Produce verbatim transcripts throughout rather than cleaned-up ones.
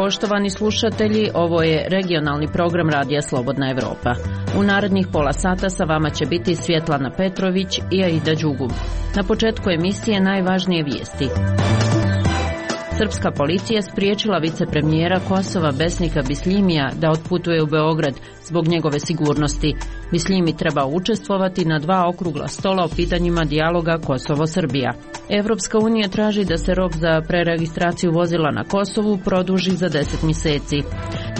Poštovani slušatelji, ovo je regionalni program Radija Slobodna Evropa. U narednih pola sata sa vama će biti Svjetlana Petrović i Aida Đugum. Na početku emisije najvažnije vijesti. Srpska policija spriječila vicepremijera Kosova Besnika Bisljimija da otputuje u Beograd zbog njegove sigurnosti. Bisljimi treba učestvovati na dva okrugla stola o pitanjima dijaloga Kosovo-Srbija. Evropska unija traži da se rok za preregistraciju vozila na Kosovu produži za deset mjeseci.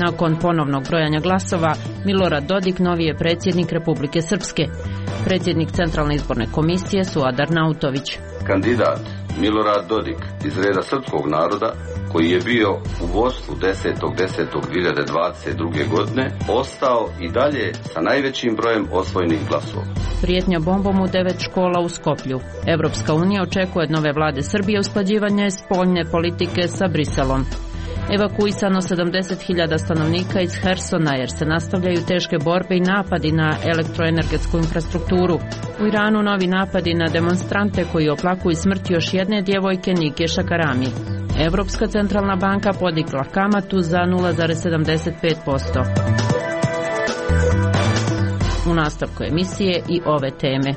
Nakon ponovnog brojanja glasova, Milorad Dodik novi je predsjednik Republike Srpske. Predsjednik Centralne izborne komisije Suadar Nautović. Kandidat Milorad Dodik iz reda srpskog naroda, koji je bio u vodstvu desetog desetog dvije hiljade dvadeset druge. godine, ostao i dalje sa najvećim brojem osvojenih glasova. Prijetnja bombom u devet škola u Skoplju. Evropska unija očekuje od nove vlade Srbije usklađivanje spoljne politike sa Briselom. Evakuisano sedamdeset hiljada stanovnika iz Hersona jer se nastavljaju teške borbe i napadi na elektroenergetsku infrastrukturu. U Iranu novi napadi na demonstrante koji oplakuju smrt još jedne djevojke Nike Šakarami. Evropska centralna banka podigla kamatu za nula zarez sedamdeset pet posto. U nastavku emisije i ove teme.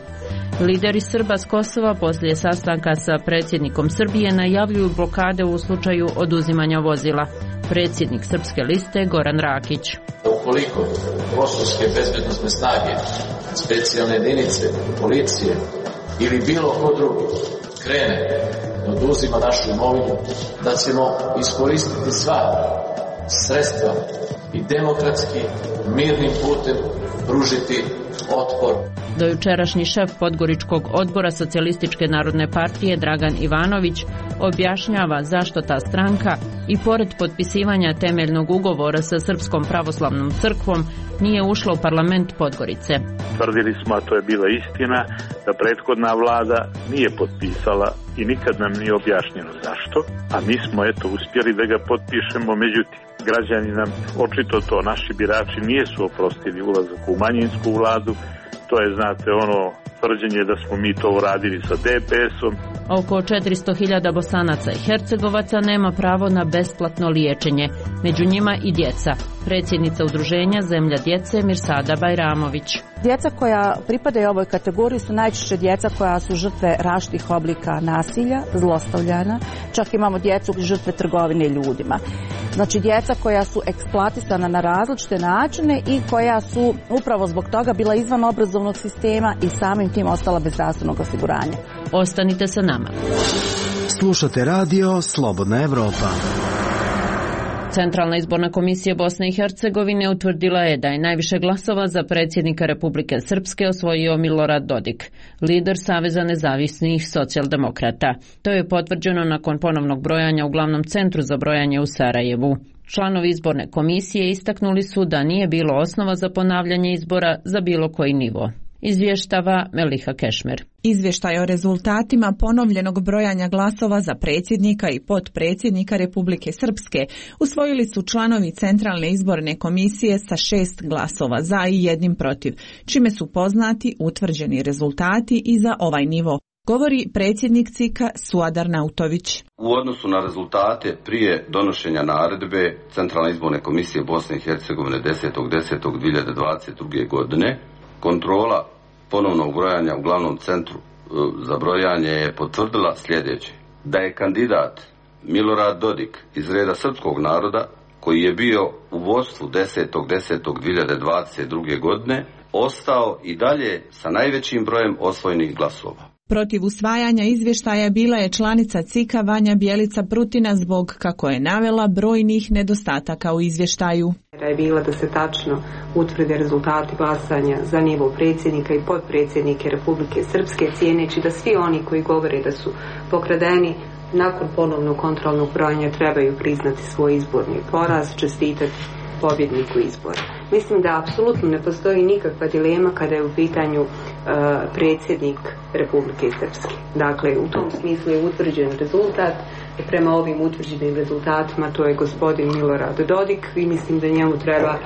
Lideri Srba s Kosova poslije sastanka sa predsjednikom Srbije najavljuju blokade u slučaju oduzimanja vozila. Predsjednik Srpske liste Goran Rakić. Ukoliko kosovske bezbednosne snage, specijalne jedinice, policije ili bilo ko drugi krene da oduzima našu imovinu, da ćemo iskoristiti sva sredstva i demokratski, mirnim putem pružiti otpor. Dojučerašnji šef Podgoričkog odbora Socijalističke narodne partije Dragan Ivanović objašnjava zašto ta stranka i pored potpisivanja temeljnog ugovora sa Srpskom pravoslavnom crkvom nije ušla u parlament Podgorice. Tvrdili smo, a to je bila istina, da prethodna vlada nije potpisala i nikad nam nije objašnjeno zašto, a mi smo eto uspjeli da ga potpišemo, međutim građani nam očito to, naši birači nisu oprostili ulazak u manjinsku vladu. To je, znate, ono tvrđenje da smo mi to uradili sa D P S-om. Oko četiristo hiljada Bosanaca i Hercegovaca nema pravo na besplatno liječenje. Među njima i djeca. Predsjednica udruženja Zemlja djece Mirsada Bajramović. Djeca koja pripadaju ovoj kategoriji su najčešće djeca koja su žrtve različitih oblika nasilja, zlostavljanja. Čak imamo djecu žrtve trgovine ljudima. Znači djeca koja su eksploatisana na različite načine i koja su upravo zbog toga bila izvan obrazovnog sistema i samim tim ostala bez zdravstvenog osiguranja. Ostanite sa nama. Slušate radio Slobodna Evropa. Centralna izborna komisija Bosne i Hercegovine utvrdila je da je najviše glasova za predsjednika Republike Srpske osvojio Milorad Dodik, lider Saveza nezavisnih socijaldemokrata. To je potvrđeno nakon ponovnog brojanja u glavnom centru za brojanje u Sarajevu. Članovi izborne komisije istaknuli su da nije bilo osnova za ponavljanje izbora za bilo koji nivo. Izvještava Meliha Kešmer. Izvještaj o rezultatima ponovljenog brojanja glasova za predsjednika i potpredsjednika Republike Srpske usvojili su članovi Centralne izborne komisije sa šest glasova za i jednim protiv, čime su poznati utvrđeni rezultati i za ovaj nivo, govori predsjednik C I K-a Suadar Nautović. U odnosu na rezultate prije donošenja naredbe Centralne izborne komisije Bosne i Hercegovine desetog desetog dvije hiljade dvadeset druge. godine, kontrola ponovnog brojanja u glavnom centru za brojanje je potvrdila sljedeće: da je kandidat Milorad Dodik iz reda srpskog naroda, koji je bio u vodstvu desetog desetog dvije hiljade dvadeset druge. godine, ostao i dalje sa najvećim brojem osvojenih glasova. Protiv usvajanja izvještaja bila je članica C I K-a Vanja Bjelica Prutina zbog, kako je navela, brojnih nedostataka u izvještaju. Je bila da se tačno utvrde rezultati glasanja za nivo predsjednika i potpredsjednike Republike Srpske, cijeneći da svi oni koji govore da su pokradeni nakon ponovnog kontrolnog brojanja trebaju priznati svoj izborni poraz, čestitati pobjedniku izbora. Mislim da apsolutno ne postoji nikakva dilema kada je u pitanju uh, predsjednik Republike Srpske. Dakle, u tom smislu je utvrđen rezultat prema ovim utvrđenim rezultatima, to je gospodin Milorad Dodik, i mislim da njemu treba,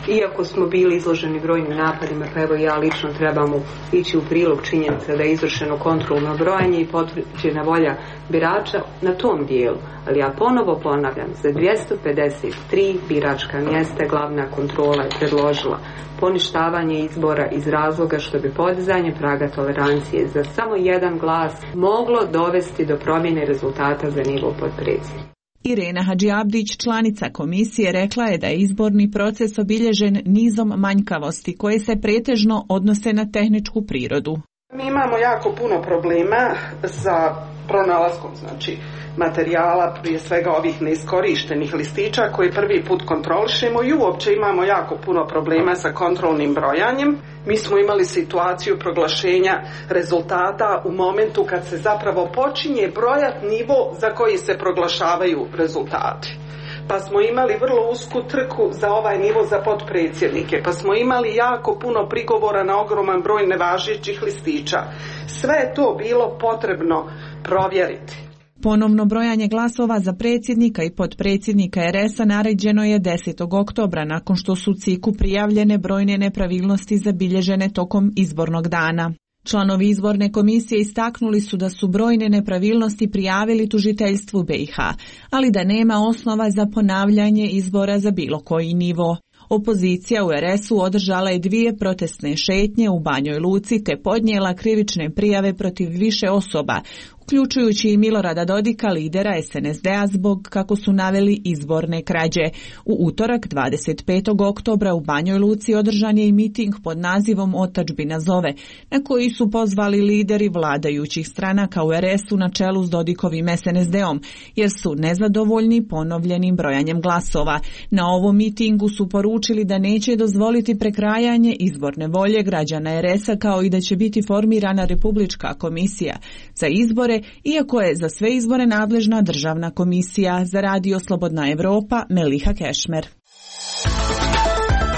iako smo bili izloženi brojnim napadima, pa evo ja lično trebamo ići u prilog činjenica da je izvršeno kontrolno brojanje i potvrđena volja birača na tom dijelu. Ali ja ponovo ponavljam, za dvjesto pedeset tri biračka mjesta glavna kontrola je predložila poništavanje izbora iz razloga što bi podizanje praga tolerancije za samo jedan glas moglo dovesti do promjene rezultata za nivo potpredsjednika. Irena Hadžiabdić, članica komisije, rekla je da je izborni proces obilježen nizom manjkavosti koje se pretežno odnose na tehničku prirodu. Mi imamo jako puno problema sa pronalaskom, znači materijala, prije svega ovih neiskorištenih listića koje prvi put kontrolišemo, i uopće imamo jako puno problema sa kontrolnim brojanjem. Mi smo imali situaciju proglašenja rezultata u momentu kad se zapravo počinje brojati nivo za koji se proglašavaju rezultati. Pa smo imali vrlo usku trku za ovaj nivo za potpredsjednike, pa smo imali jako puno prigovora na ogroman broj nevažećih listića. Sve je to bilo potrebno provjeriti. Ponovno brojanje glasova za predsjednika i potpredsjednika er es a naređeno je desetog oktobra nakon što su C I K-u prijavljene brojne nepravilnosti zabilježene tokom izbornog dana. Članovi izborne komisije istaknuli su da su brojne nepravilnosti prijavili tužiteljstvu be i ha, ali da nema osnova za ponavljanje izbora za bilo koji nivo. Opozicija u er es u održala je dvije protestne šetnje u Banjoj Luci te podnijela krivične prijave protiv više osoba, uključujući i Milorada Dodika, lidera es en es de a, zbog, kako su naveli, izborne krađe. U utorak dvadeset petog oktobra u Banjoj Luci održan je i miting pod nazivom Otadžbina zove, na koji su pozvali lideri vladajućih stranaka u er es u na čelu s Dodikovim es en es de om, jer su nezadovoljni ponovljenim brojanjem glasova. Na ovom mitingu su poručili da neće dozvoliti prekrajanje izborne volje građana er es a, kao i da će biti formirana Republička komisija za izbore, iako je za sve izbore nadležna državna komisija. Za Radio Slobodna Evropa, Meliha Kešmer.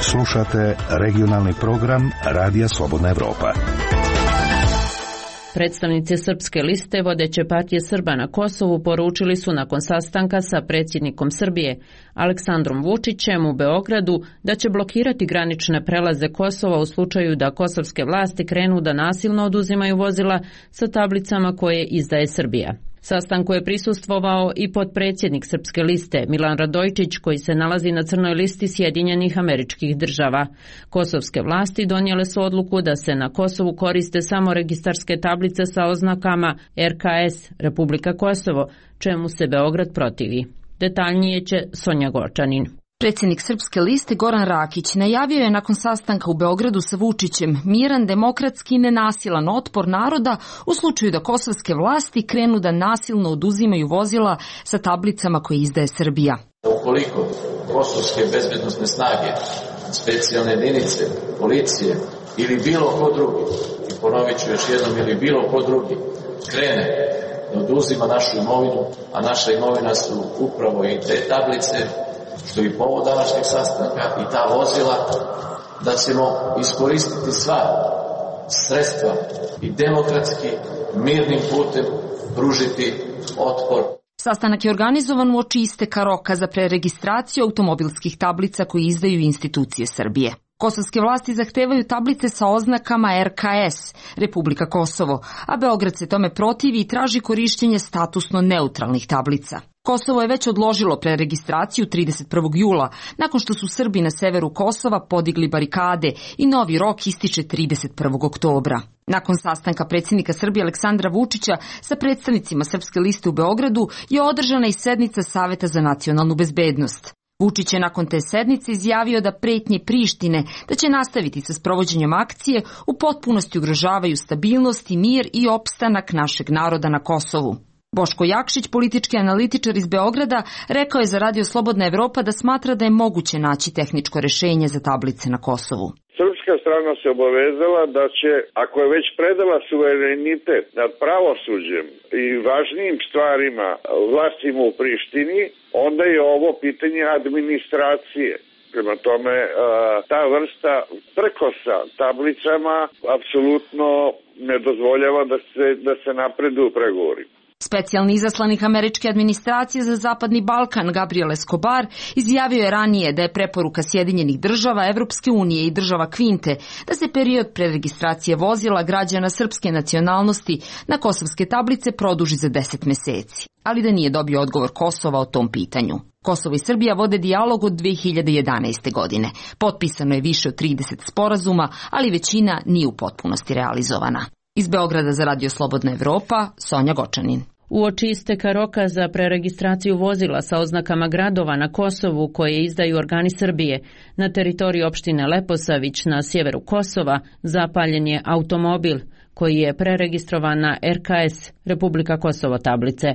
Slušate regionalni program Radija Slobodna Evropa. Predstavnici Srpske liste vodeće partije Srba na Kosovu poručili su nakon sastanka sa predsjednikom Srbije Aleksandrom Vučićem u Beogradu da će blokirati granične prelaze Kosova u slučaju da kosovske vlasti krenu da nasilno oduzimaju vozila sa tablicama koje izdaje Srbija. Sastanku je prisustvovao i potpredsjednik Srpske liste Milan Radojičić, koji se nalazi na crnoj listi Sjedinjenih Američkih Država. Kosovske vlasti donijele su odluku da se na Kosovu koriste samo registarske tablice sa oznakama er ka es, Republika Kosovo, čemu se Beograd protivi. Detaljnije će Sonja Gočanin. Predsjednik Srpske liste Goran Rakić najavio je nakon sastanka u Beogradu sa Vučićem miran, demokratski i nenasilan otpor naroda u slučaju da kosovske vlasti krenu da nasilno oduzimaju vozila sa tablicama koje izdaje Srbija. Ukoliko kosovske bezbednosne snage, specijalne jedinice, policije ili bilo ko drugi, i ponovit ću još jednom, ili bilo ko drugi krene da oduzima našu imovinu, a naša imovina su upravo i te tablice, što je povod današnjeg sastanka, i ta vozila, da ćemo iskoristiti sva sredstva i demokratski, mirnim putem pružiti otpor. Sastanak je organizovan uoči isteka roka za preregistraciju automobilskih tablica koje izdaju institucije Srbije. Kosovske vlasti zahtevaju tablice sa oznakama er ka es, Republika Kosovo, a Beograd se tome protivi i traži korištenje statusno neutralnih tablica. Kosovo je već odložilo preregistraciju trideset prvog jula, nakon što su Srbi na severu Kosova podigli barikade i novi rok ističe trideset prvog oktobra. Nakon sastanka predsjednika Srbije Aleksandra Vučića sa predstavnicima Srpske liste u Beogradu je održana i sednica Saveta za nacionalnu bezbednost. Vučić je nakon te sednice izjavio da pretnje Prištine da će nastaviti sa sprovođenjem akcije u potpunosti ugrožavaju stabilnost i mir i opstanak našeg naroda na Kosovu. Boško Jakšić, politički analitičar iz Beograda, rekao je za Radio Slobodna Evropa da smatra da je moguće naći tehničko rješenje za tablice na Kosovu. Srpska strana se obavezala da će, ako je već predala suverenitet nad pravosuđem i važnijim stvarima vlastima u Prištini, onda je ovo pitanje administracije. Prema tome, ta vrsta prkosa tablicama apsolutno ne dozvoljava da se, da se napredu u pregovori. Specijalni izaslanik američke administracije za Zapadni Balkan Gabriel Escobar izjavio je ranije da je preporuka Sjedinjenih država, Evropske unije i država Kvinte da se period preregistracije vozila građana srpske nacionalnosti na kosovske tablice produži za deset meseci, ali da nije dobio odgovor Kosova o tom pitanju. Kosovo i Srbija vode dijalog od dve hiljade jedanaeste. godine. Potpisano je više od trideset sporazuma, ali većina nije u potpunosti realizovana. Iz Beograda za Radio Slobodna Evropa, Sonja Gočanin. Uoči isteka roka za preregistraciju vozila sa oznakama gradova na Kosovu koje izdaju organi Srbije, na teritoriji opštine Leposavić na sjeveru Kosova zapaljen je automobil koji je preregistrovan na R K S, Republika Kosovo tablice.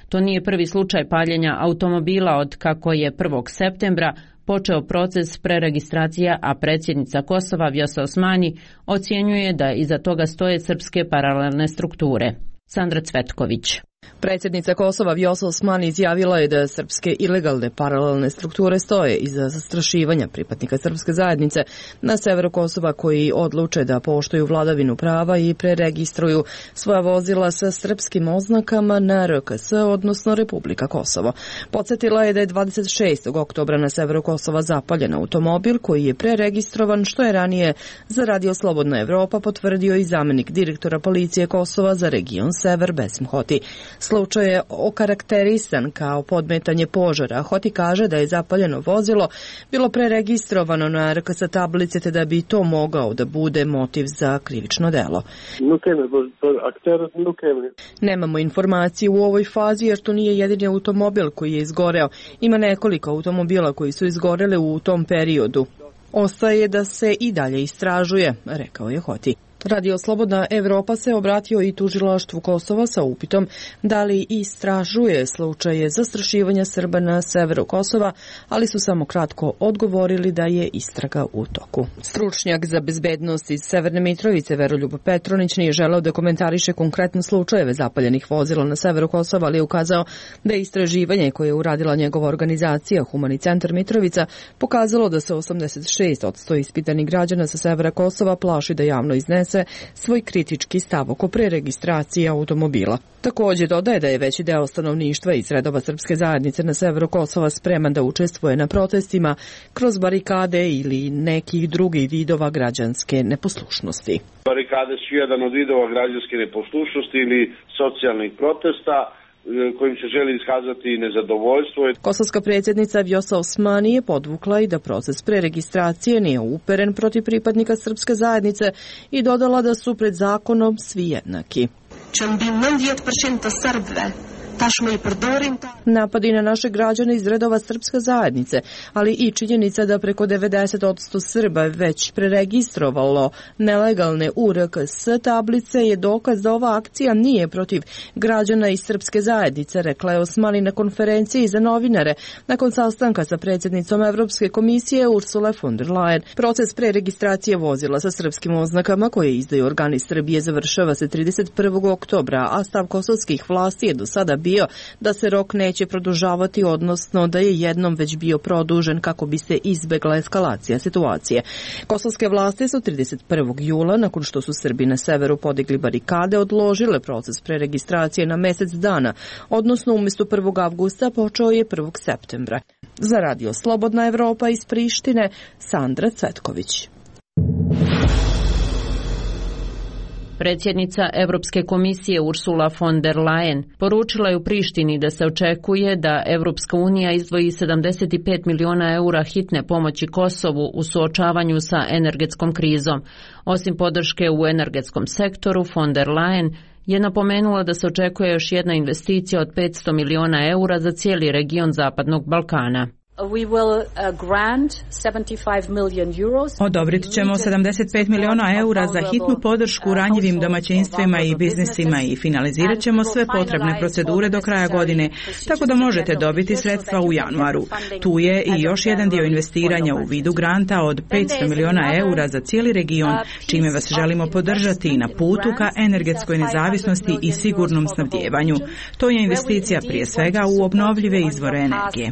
To nije prvi slučaj paljenja automobila od kako je prvog septembra počeo proces preregistracije, a predsjednica Kosova Vjosa Osmani ocjenjuje da iza toga stoje srpske paralelne strukture. Sandra Cvetković. Predsjednica Kosova Vjosa Osmani izjavila je da srpske ilegalne paralelne strukture stoje iza zastrašivanja pripadnika srpske zajednice na severu Kosova koji odluče da poštuju vladavinu prava i preregistruju svoja vozila sa srpskim oznakama na R K S, odnosno Republika Kosovo. Podsjetila je da je dvadeset šestog oktobra na severu Kosova zapaljen automobil koji je preregistrovan, što je ranije za Radio Slobodna Evropa potvrdio i zamenik direktora policije Kosova za region Sever Besim Hoti. Slučaj je okarakterisan kao podmetanje požara. Hoti kaže da je zapaljeno vozilo bilo preregistrovano na R K S tablice te da bi to mogao da bude motiv za krivično delo. Nemamo informaciju u ovoj fazi jer to nije jedini automobil koji je izgoreo. Ima nekoliko automobila koji su izgoreli u tom periodu. Ostaje da se i dalje istražuje, rekao je Hoti. Radio Slobodna Evropa se obratio i tužilaštvu Kosova sa upitom da li istražuje slučaje zastrašivanja Srba na severu Kosova, ali su samo kratko odgovorili da je istraga u toku. Stručnjak za bezbednost iz Severne Mitrovice Veroljub Petronić nije želeo da komentariše konkretne slučajeve zapaljenih vozila na severu Kosova, ali je ukazao da je istraživanje koje je uradila njegova organizacija Humani centar Mitrovica pokazalo da se osamdeset šest posto ispitanih građana sa severa Kosova plaši da javno iznese svoj kritički stav oko preregistracije automobila. Također dodaje da je veći deo stanovništva iz redova srpske zajednice na severu Kosova spreman da učestvuje na protestima kroz barikade ili nekih drugih vidova građanske neposlušnosti. Barikade su jedan od vidova građanske neposlušnosti ili socijalnih protesta kojim se želi iskazati nezadovoljstvo. Kosovska predsjednica Vjosa Osmani je podvukla i da proces preregistracije nije uperen protiv pripadnika srpske zajednice i dodala da su pred zakonom svi jednaki. Napadi na naše građane iz redova srpske zajednice, ali i činjenica da preko devedeset posto Srba već preregistrovalo nelegalne U R K S tablice je dokaz da ova akcija nije protiv građana iz srpske zajednice, rekla je Osmani na konferenciji za novinare nakon sastanka sa predsjednicom Evropske komisije Ursule von der Leyen. Proces preregistracije vozila sa srpskim oznakama koje izdaju organi Srbije završava se trideset prvog oktobra, a stav kosovskih vlasti je do sada bio da se rok neće produžavati, odnosno da je jednom već bio produžen kako bi se izbegla eskalacija situacije. Kosovske vlasti su trideset prvog jula, nakon što su Srbi na severu podigli barikade, odložile proces preregistracije na mesec dana, odnosno umjesto prvog avgusta počeo je prvog septembra. Za Radio Slobodna Evropa iz Prištine, Sandra Cvetković. Predsjednica Europske komisije Ursula von der Leyen poručila je u Prištini da se očekuje da Europska unija izdvoji sedamdeset pet miliona eura hitne pomoći Kosovu u suočavanju sa energetskom krizom. Osim podrške u energetskom sektoru, von der Leyen je napomenula da se očekuje još jedna investicija od petsto miliona eura za cijeli region Zapadnog Balkana. Odobrit ćemo sedamdeset pet miliona eura za hitnu podršku ranjivim domaćinstvima i biznisima i finalizirat ćemo sve potrebne procedure do kraja godine, tako da možete dobiti sredstva u januaru. Tu je i još jedan dio investiranja u vidu granta od petsto miliona eura za cijeli region, čime vas želimo podržati na putu ka energetskoj nezavisnosti i sigurnom snabdijevanju. To je investicija prije svega u obnovljive izvore energije.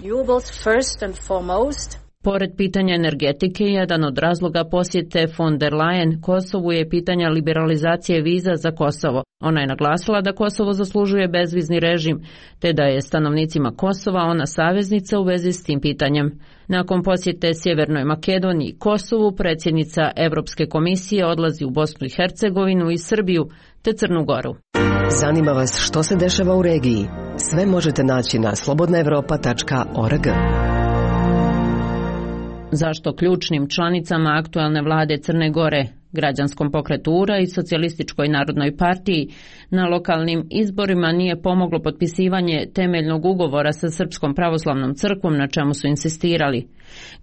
Pored pitanja energetike, jedan od razloga posjete von der Leyen Kosovu je pitanja liberalizacije viza za Kosovo. Ona je naglasila da Kosovo zaslužuje bezvizni režim, te da je stanovnicima Kosova ona saveznica u vezi s tim pitanjem. Nakon posjete Sjevernoj Makedoniji i Kosovu, predsjednica Europske komisije odlazi u Bosnu i Hercegovinu i Srbiju te Crnu Goru. Zanima vas što se dešava u regiji? Sve možete naći na slobodna evropa tačka org. Zašto ključnim članicama aktualne vlade Crne Gore, Građanskom pokretu U R A i Socijalističkoj narodnoj partiji na lokalnim izborima nije pomoglo potpisivanje temeljnog ugovora sa Srpskom pravoslavnom crkvom na čemu su insistirali?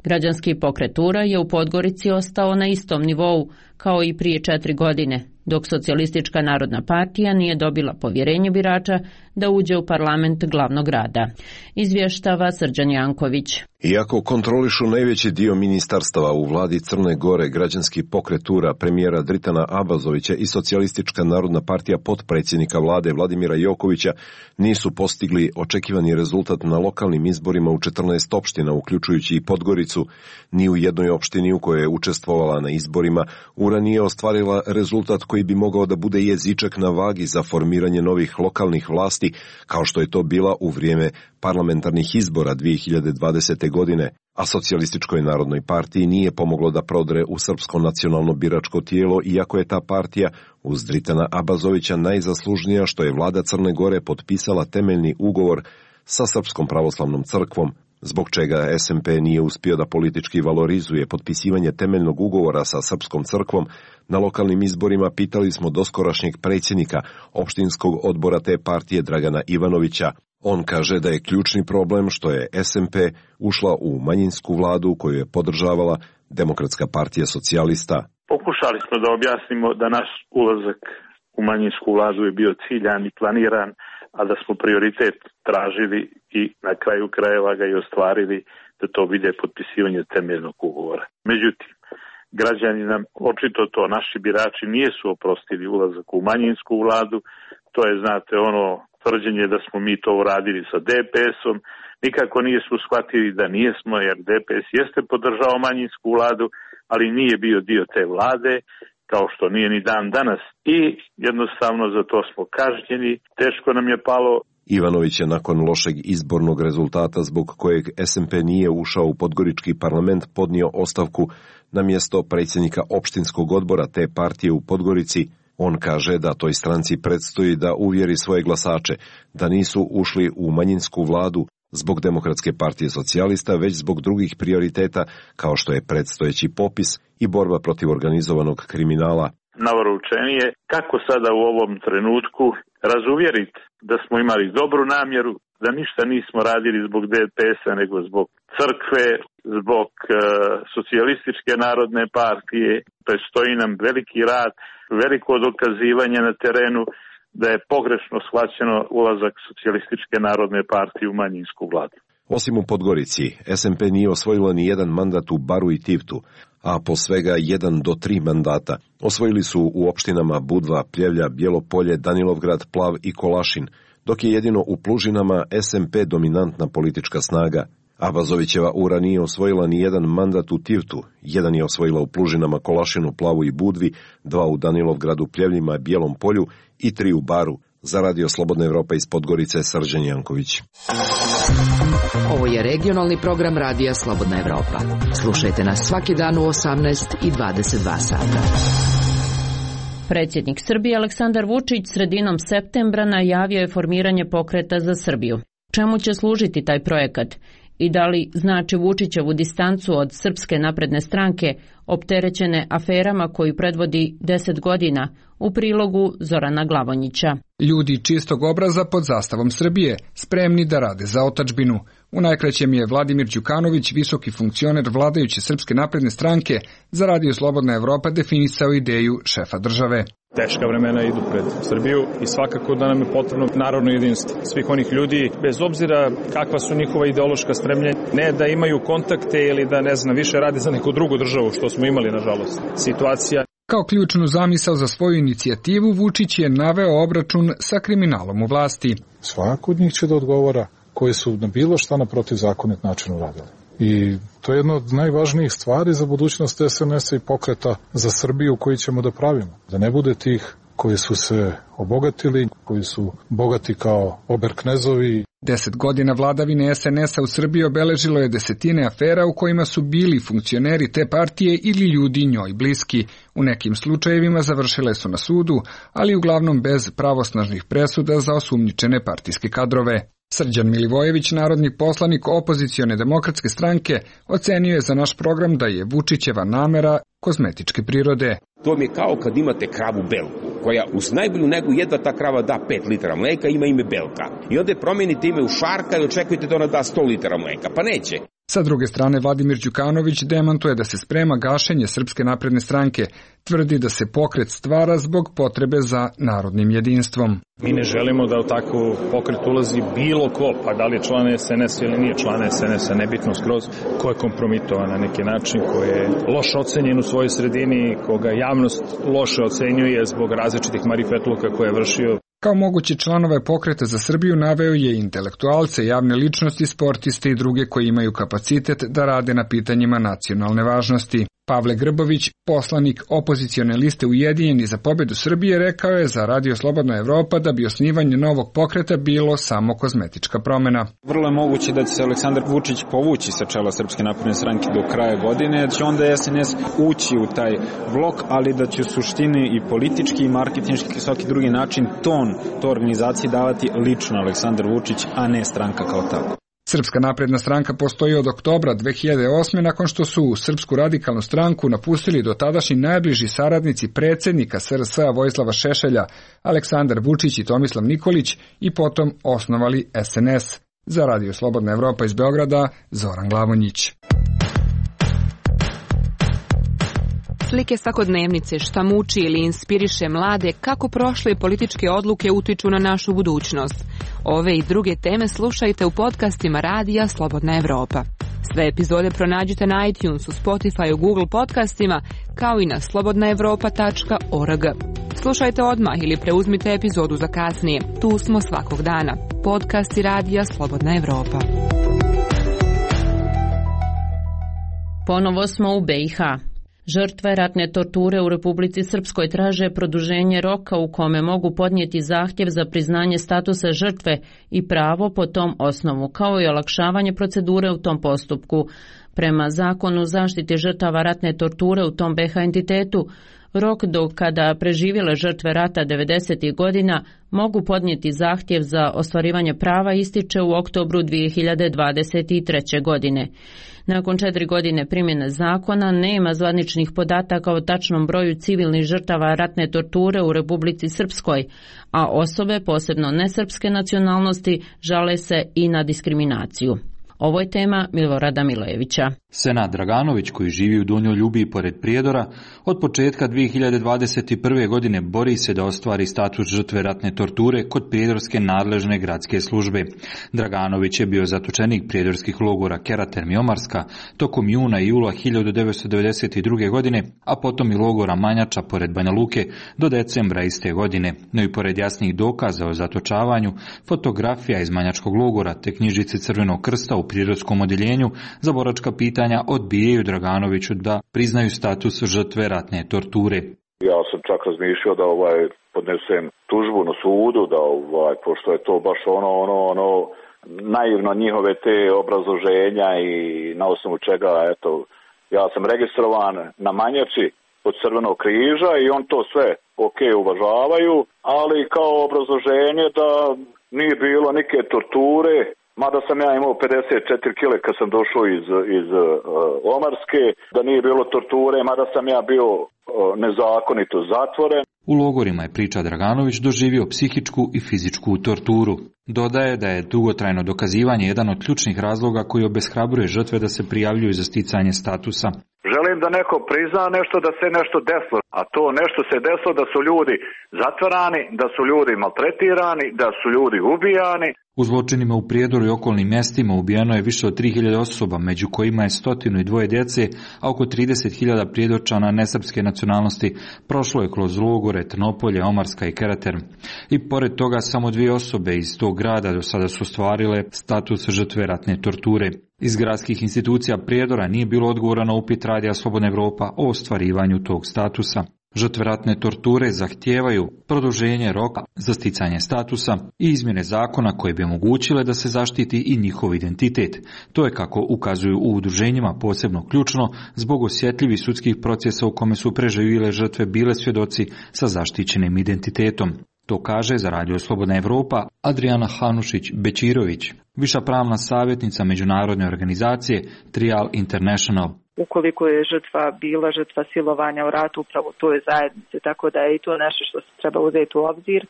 Građanski pokret U R A je u Podgorici ostao na istom nivou kao i prije četiri godine, dok Socijalistička narodna partija nije dobila povjerenje birača da uđe u parlament glavnog grada. Izvještava Srđan Janković. Iako kontrolišu najveći dio ministarstava u vladi Crne Gore, Građanski pokret U R A, premijera Dritana Abazovića i Socijalistička narodna partija potpredsjednika vlade Vladimira Jokovića nisu postigli očekivani rezultat na lokalnim izborima u četrnaest opština, uključujući i Podgoricu, ni u jednoj opštini u kojoj je učestvovala na izborima, U R A nije ostvarila rezultat koji bi mogao da bude jezičak na vagi za formiranje novih lokalnih vlasti, kao što je to bila u vrijeme parlamentarnih izbora dvije hiljade dvadesete. godine, a Socijalističkoj narodnoj partiji nije pomoglo da prodre u srpsko nacionalno biračko tijelo, iako je ta partija uz Dritana Abazovića najzaslužnija što je vlada Crne Gore potpisala temeljni ugovor sa Srpskom pravoslavnom crkvom, zbog čega S M P nije uspio da politički valorizuje potpisivanje temeljnog ugovora sa Srpskom crkvom. Na lokalnim izborima pitali smo doskorašnjeg predsjednika opštinskog odbora te partije Dragana Ivanovića. On kaže da je ključni problem što je S M P ušla u manjinsku vladu koju je podržavala Demokratska partija socijalista. Pokušali smo da objasnimo da naš ulazak u manjinsku vladu je bio ciljan i planiran, a da smo prioritet tražili i na kraju krajeva ga i ostvarili da to bude potpisivanje temeljnog ugovora. Međutim, građani nam očito to, naši birači nisu oprostili ulazak u manjinsku vladu. To je, znate, ono tvrđenje da smo mi to uradili sa D P S-om, nikako nisu shvatili da nijesmo, jer D P S jeste podržao manjinsku vladu, ali nije bio dio te vlade, kao što nije ni dan danas. I jednostavno za to smo kažnjeni, teško nam je palo. Ivanović je nakon lošeg izbornog rezultata zbog kojeg S M P nije ušao u Podgorički parlament podnio ostavku na mjesto predsjednika opštinskog odbora te partije u Podgorici. On kaže da toj stranci predstoji da uvjeri svoje glasače da nisu ušli u manjinsku vladu zbog Demokratske partije socijalista, već zbog drugih prioriteta kao što je predstojeći popis i borba protiv organizovanog kriminala. Navrhučenije kako sada u ovom trenutku razuvjeriti da smo imali dobru namjeru, da ništa nismo radili zbog D P S-a nego zbog crkve, zbog uh, Socijalističke narodne partije. Predstoji nam veliki rad, veliko dokazivanje na terenu da je pogrešno shvaćeno ulazak Socijalističke narodne partije u manjinsku vladu. Osim u Podgorici, S M P nije osvojila ni jedan mandat u Baru i Tivtu, a po svega jedan do tri mandata. Osvojili su u opštinama Budva, Pljevlja, Bijelo Polje, Danilovgrad, Plav i Kolašin, dok je jedino u Plužinama S M P dominantna politička snaga. Abazovićeva U R A nije osvojila ni jedan mandat u Tivtu, jedan je osvojila u Plužinama, Kolašinu, Plavu i Budvi, dva u Danilovgradu, Pljevljima, Bijelom Polju i tri u Baru. Za Radio Slobodna Evropa iz Podgorice, Srđan Janković. Ovo je regionalni program Radija Slobodna Evropa. Slušajte nas svaki dan u osamnaest i dvadeset dva sata. Predsjednik Srbije Aleksandar Vučić sredinom septembra najavio je formiranje pokreta za Srbiju. Čemu će služiti taj projekat? I da li znači Vučićevu distancu od Srpske napredne stranke opterećene aferama koju predvodi deset godina, u prilogu Zorana Glavonjića. Ljudi čistog obraza pod zastavom Srbije, spremni da rade za otadžbinu. U najkraćem je Vladimir Đukanović, visoki funkcioner vladajuće Srpske napredne stranke, za Radio Slobodna Evropa definisao ideju šefa države. Teška vremena idu pred Srbiju i svakako da nam je potrebno narodno jedinstvo svih onih ljudi, bez obzira kakva su njihova ideološka stremljenja, ne da imaju kontakte ili da, ne znam, više rade za neku drugu državu, što smo imali, nažalost. Situacija. Kao ključnu zamisao za svoju inicijativu, Vučić je naveo obračun sa kriminalom u vlasti. Svako od njih će da odgovara koji su na bilo šta na protivzakonit način uradili. I to je jedna od najvažnijih stvari za budućnost es en es-a i pokreta za Srbiju koji ćemo da pravimo. Da ne bude tih koji su se obogatili, koji su bogati kao oberknezovi. Deset godina vladavine es en es-a u Srbiji obeležilo je desetine afera u kojima su bili funkcioneri te partije ili ljudi njoj bliski. U nekim slučajevima završile su na sudu, ali uglavnom bez pravosnažnih presuda za osumnjičene partijske kadrove. Srđan Milivojević, narodni poslanik opozicione demokratske stranke, ocenio je za naš program da je Vučićeva namera kozmetičke prirode. To mi je kao kad imate kravu Belku, koja uz najbolju negu jedva ta krava da pet litara mleka, ima ime Belka. I onda je promijenite ime u Šarka i očekujete da ona da sto litara mleka, pa neće. Sa druge strane, Vladimir Đukanović demantuje da se sprema gašenje Srpske napredne stranke. Tvrdi da se pokret stvara zbog potrebe za narodnim jedinstvom. Mi ne želimo da u takvu pokret ulazi bilo ko, pa da li je član es en es ili nije član es en es-a, nebitno skroz, ko je kompromitovan na neki način, ko je loše ocenjen u svojoj sredini, koga javnost loše ocenjuje zbog različitih marifetluka koje je vršio. Kao mogući članove pokreta za Srbiju naveo je intelektualce, javne ličnosti, sportiste i druge koji imaju kapacitet da rade na pitanjima nacionalne važnosti. Pavle Grbović, poslanik opozicione liste Ujedinjeni za pobedu Srbije, rekao je za Radio Slobodna Evropa da bi osnivanje novog pokreta bilo samo kozmetička promjena. Vrlo je moguće da će se Aleksandar Vučić povući sa čela Srpske napredne stranke do kraja godine, da će onda es en es ući u taj blok, ali da će u suštini i politički i marketinški i svaki drugi način ton to organizaciji davati lično Aleksandar Vučić, a ne stranka kao tako. Srpska napredna stranka postoji od oktobra dve hiljade osme nakon što su Srpsku radikalnu stranku napustili dotadašnji najbliži saradnici predsjednika es er es a Vojislava Šešelja, Aleksandar Vučić i Tomislav Nikolić, i potom osnovali es en es. Za Radio Slobodna Evropa iz Beograda, Zoran Glavonjić. Slike svakodnevnice, šta muči ili inspiriše mlade, kako prošle političke odluke utiču na našu budućnost. Ove i druge teme slušajte u podcastima Radija Slobodna Evropa. Sve epizode pronađite na iTunesu, Spotify, Google podcastima, kao i na slobodna evropa tačka org. Slušajte odmah ili preuzmite epizodu za kasnije. Tu smo svakog dana. Podcasti Radija Slobodna Evropa. Ponovo smo u be i ha. Žrtve ratne torture u Republici Srpskoj traže produženje roka u kome mogu podnijeti zahtjev za priznanje statusa žrtve i pravo po tom osnovu, kao i olakšavanje procedure u tom postupku. Prema zakonu zaštite žrtava ratne torture u tom be ha entitetu, rok do kada preživjele žrtve rata devedesetih godina mogu podnijeti zahtjev za ostvarivanje prava ističe u oktobru dvije hiljade dvadeset treće. godine. Nakon četiri godine primjene zakona nema zvaničnih podataka o tačnom broju civilnih žrtava ratne torture u Republici Srpskoj, a osobe, posebno nesrpske nacionalnosti, žale se i na diskriminaciju. Ovo je tema Milorada Milojevića. Senad Draganović, koji živi u Donjoj Ljubiji pored Prijedora, od početka dvije hiljade dvadeset prve. godine bori se da ostvari status žrtve ratne torture kod prijedorske nadležne gradske službe. Draganović je bio zatočenik prijedorskih logora Keraterm i Omarska tokom juna i jula hiljadu devetsto devedeset druge. godine, a potom i logora Manjača pored Banja Luke do decembra iste godine. No i pored jasnih dokaza o zatočavanju, fotografija iz Manjačkog logora te knjižice Crvenog krsta u prijedorskom odjeljenju za boračka pitanja odbijaju Draganoviću da priznaju status žrtve ratne torture. Ja sam čak razmišljao da ovaj podnesem tužbu na sudu, da ovaj, pošto je to baš ono, ono, ono, naivno njihove te obrazloženja i na osnovu čega, eto, ja sam registrovan na Manjači od Crvenog križa i on to sve ok uvažavaju, ali kao obrazloženje da nije bilo neke torture. Mada sam ja imao pedeset četiri kile kad sam došao iz, iz uh, Omarske, da nije bilo torture, mada sam ja bio uh, nezakonito zatvoren. U logorima je, priča Draganović, doživio psihičku i fizičku torturu. Dodaje da je dugotrajno dokazivanje jedan od ključnih razloga koji obeshrabruje žrtve da se prijavljuju za sticanje statusa. Želim da neko prizna nešto, da se nešto desilo, a to nešto se desilo da su ljudi zatvarani, da su ljudi maltretirani, da su ljudi ubijani. U zločinima u Prijedoru i okolnim mjestima ubijeno je više od tri hiljade osoba, među kojima je stotinu i dvoje djece, a oko trideset hiljada prijedorčana nesrpske nacionalnosti prošlo je kroz logore Trnopolje, Omarska i Keraterm. I pored toga samo dvije osobe iz tog grada do sada su ostvarile status žrtve ratne torture. Iz gradskih institucija Prijedora nije bilo odgovora na upit Radija Slobodna Evropa o ostvarivanju tog statusa. Žrtve ratne torture zahtijevaju produženje roka za sticanje statusa i izmjene zakona koje bi omogućile da se zaštiti i njihov identitet. To je, kako ukazuju u udruženjima, posebno ključno zbog osjetljivih sudskih procesa u kome su preživjele žrtve bile svjedoci sa zaštićenim identitetom. To kaže za Radio Slobodna Evropa Adriana Hanušić-Bečirović, viša pravna savjetnica međunarodne organizacije Trial International. Ukoliko je žrtva bila žrtva silovanja u ratu upravo u toj zajednici, tako da je i to nešto što se treba uzeti u obzir,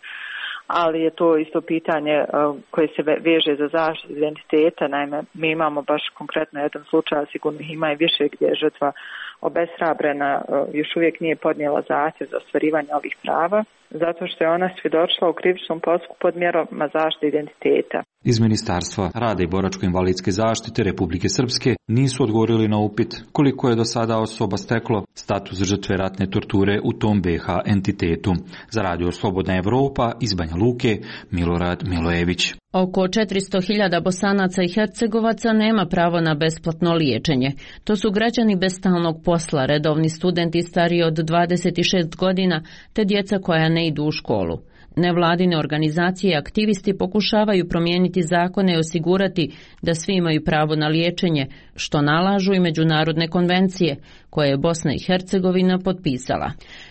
ali je to isto pitanje koje se veže za zaštitu identiteta. Naime, mi imamo baš konkretno jedan slučaj, sigurno ih ima i više, gdje je žrtva obeshrabrena, još uvijek nije podnijela zahtjev za ostvarivanje ovih prava, zato što je ona svjedočila u krivičnom postupku pod mjerama zaštite identiteta. Iz Ministarstva rada i boračko-invalidske zaštite Republike Srpske nisu odgovorili na upit koliko je do sada osoba steklo status žrtve ratne torture u tom be ha entitetu. Za Radio Slobodna Evropa iz Banja Luke, Milorad Milojević. Oko četiristo hiljada Bosanaca i Hercegovaca nema pravo na besplatno liječenje. To su građani bez stalnog posla, redovni studenti stariji od dvadeset šest godina, te djeca koja ne idu u školu. Nevladine organizacije i aktivisti pokušavaju promijeniti zakone i osigurati da svi imaju pravo na liječenje, što nalažu i međunarodne konvencije koje je Bosna i Hercegovina potpisala.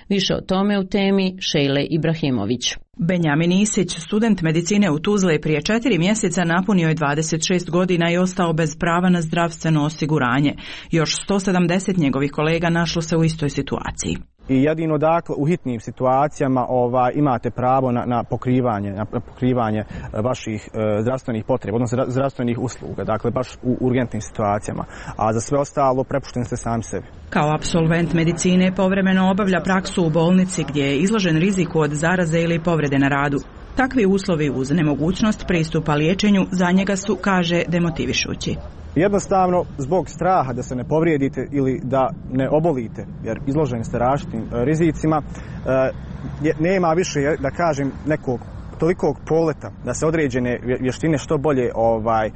Više o tome u temi Šejle Ibrahimović. Benjamin Isić, student medicine u Tuzli, prije četiri mjeseca napunio je dvadeset šest godina i ostao bez prava na zdravstveno osiguranje. Još sto sedamdeset njegovih kolega našlo se u istoj situaciji. I jedino dakle u hitnim situacijama ovaj, imate pravo na, na pokrivanje, na pokrivanje vaših e, zdravstvenih potreba, odnosno zdravstvenih usluga, dakle baš u urgentnim situacijama, a za sve ostalo prepušteni ste sami sebi. Kao apsolvent medicine povremeno obavlja praksu u bolnici gdje je izložen riziku od zaraze ili povrede na radu. Takvi uslovi uz nemogućnost pristupa liječenju za njega su, kaže, demotivišući. Jednostavno, zbog straha da se ne povrijedite ili da ne obolite, jer izloženi ste različitim rizicima, nema više, da kažem, nekog tolikog poleta da se određene vještine što bolje ovaj,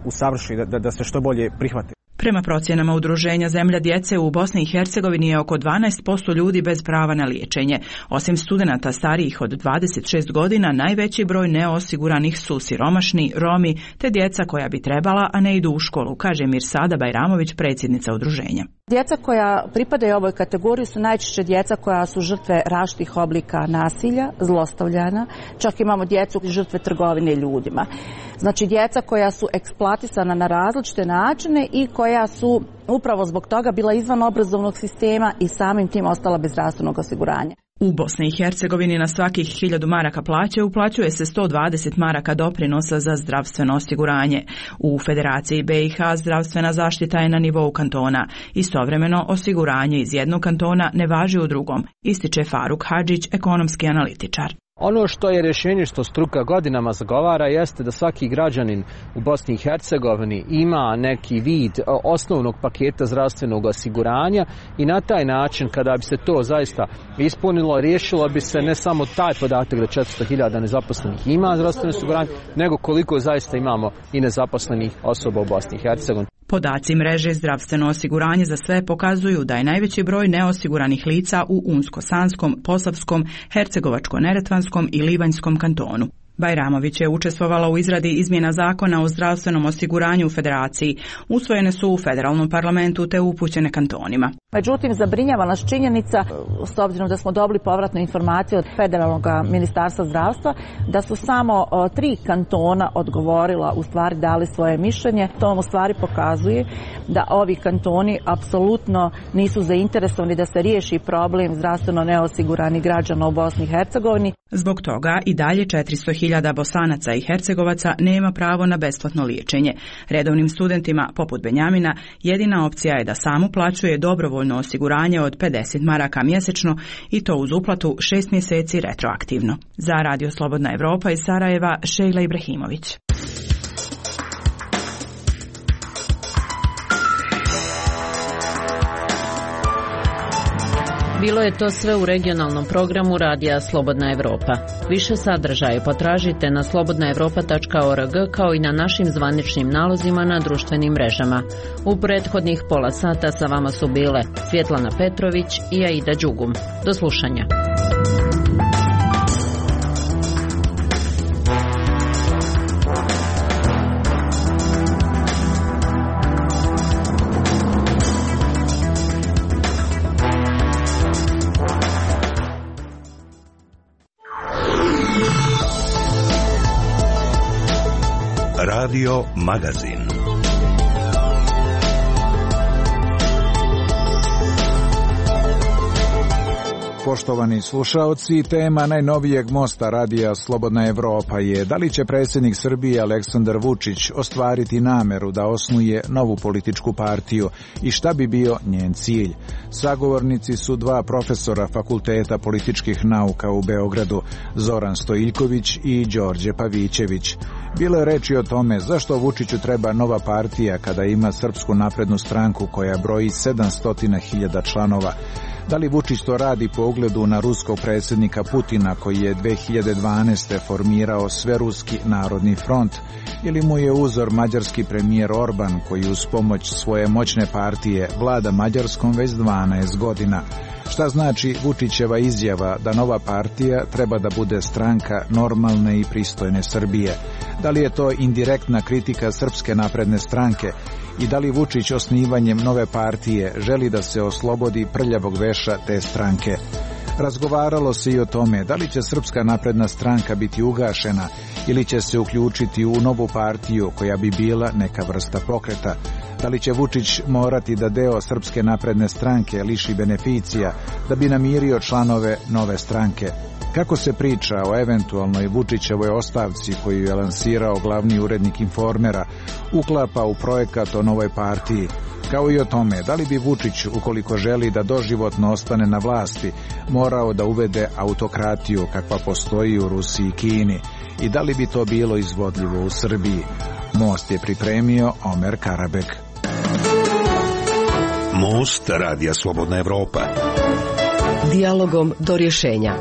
usavrši, da, da se što bolje prihvate. Prema procjenama udruženja Zemlja djece u Bosni i Hercegovini je oko dvanaest posto ljudi bez prava na liječenje. Osim studenata starijih od dvadeset šest godina, najveći broj neosiguranih su siromašni, Romi te djeca koja bi trebala, a ne idu u školu, kaže Mirsada Bajramović, predsjednica udruženja. Djeca koja pripadaju ovoj kategoriji su najčešće djeca koja su žrtve različitih oblika nasilja, zlostavljanja, čak imamo djecu žrtve trgovine ljudima. Znači djeca koja su eksploatisana na različite načine i koja su upravo zbog toga bila izvan obrazovnog sistema i samim tim ostala bez zdravstvenog osiguranja. U Bosni i Hercegovini na svakih hiljadu maraka plaće uplaćuje se sto dvadeset maraka doprinosa za zdravstveno osiguranje. U Federaciji be i ha zdravstvena zaštita je na nivou kantona. Istovremeno osiguranje iz jednog kantona ne važi u drugom, ističe Faruk Hadžić, ekonomski analitičar. Ono što je rješenje što struka godinama zagovara jeste da svaki građanin u Bosni i Hercegovini ima neki vid osnovnog paketa zdravstvenog osiguranja i na taj način kada bi se to zaista ispunilo, riješilo bi se ne samo taj podatak da četiristo hiljada nezaposlenih ima zdravstveno osiguranje, nego koliko zaista imamo i nezaposlenih osoba u Bosni i Hercegovini. Podaci mreže zdravstveno osiguranje za sve pokazuju da je najveći broj neosiguranih lica u Unsko-Sanskom, Posavskom, Hercegovačko-Neretvanskom i Livanjskom kantonu. Bajramović je učestvovala u izradi izmjena zakona o zdravstvenom osiguranju u Federaciji. Usvojene su u federalnom parlamentu te upućene kantonima. Međutim, zabrinjava nas činjenica, s obzirom da smo dobili povratnu informaciju od federalnog ministarstva zdravstva, da su samo tri kantona odgovorila, u stvari dali svoje mišljenje. To u stvari pokazuje da ovi kantoni apsolutno nisu zainteresovani da se riješi problem zdravstveno neosiguranih građana u Bosni i Hercegovini. Zbog toga i dalje četiristo hiljada Bosanaca i Hercegovaca nema pravo na besplatno liječenje. Redovnim studentima, poput Benjamina, jedina opcija je da sam uplaćuje dobrovoljno osiguranje od pedeset maraka mjesečno i to uz uplatu šest mjeseci retroaktivno. Za Radio Slobodna Evropa iz Sarajeva, Šejla Ibrahimović. Bilo je to sve u regionalnom programu Radija Slobodna Evropa. Više sadržaja potražite na slobodna evropa tačka org kao i na našim zvaničnim nalozima na društvenim mrežama. U prethodnih pola sata sa vama su bile Svjetlana Petrović i Aida Đugum. Do slušanja. Radio Magazin. Poštovani slušaoci, tema najnovijeg mosta Radija Slobodna Evropa je da li će predsjednik Srbije Aleksandar Vučić ostvariti nameru da osnuje novu političku partiju i šta bi bio njen cilj. Sagovornici su dva profesora Fakulteta političkih nauka u Beogradu, Zoran Stojiljković i Đorđe Pavićević. Bilo je reči o tome zašto Vučiću treba nova partija kada ima Srpsku naprednu stranku koja broji sedamsto hiljada članova. Da li Vučić to radi po ugledu na ruskog predsjednika Putina koji je dve hiljade dvanaeste. formirao Sveruski narodni front ili mu je uzor mađarski premijer Orban koji uz pomoć svoje moćne partije vlada Mađarskom već dvanaest godina. Šta znači Vučićeva izjava da nova partija treba da bude stranka normalne i pristojne Srbije? Da li je to indirektna kritika Srpske napredne stranke i da li Vučić osnivanjem nove partije želi da se oslobodi prljavog veša te stranke? Razgovaralo se i o tome da li će Srpska napredna stranka biti ugašena ili će se uključiti u novu partiju koja bi bila neka vrsta pokreta. Da li će Vučić morati da deo Srpske napredne stranke liši beneficija da bi namirio članove nove stranke? Kako se priča o eventualnoj Vučićevoj ostavci koju je lansirao glavni urednik Informera uklapa u projekat o novoj partiji, kao i o tome da li bi Vučić, ukoliko želi da doživotno ostane na vlasti, morao da uvede autokratiju kakva postoji u Rusiji i Kini i da li bi to bilo izvodljivo u Srbiji. Most je pripremio Omer Karabek. Most Radija Slobodna Evropa. Dijalogom do rješenja.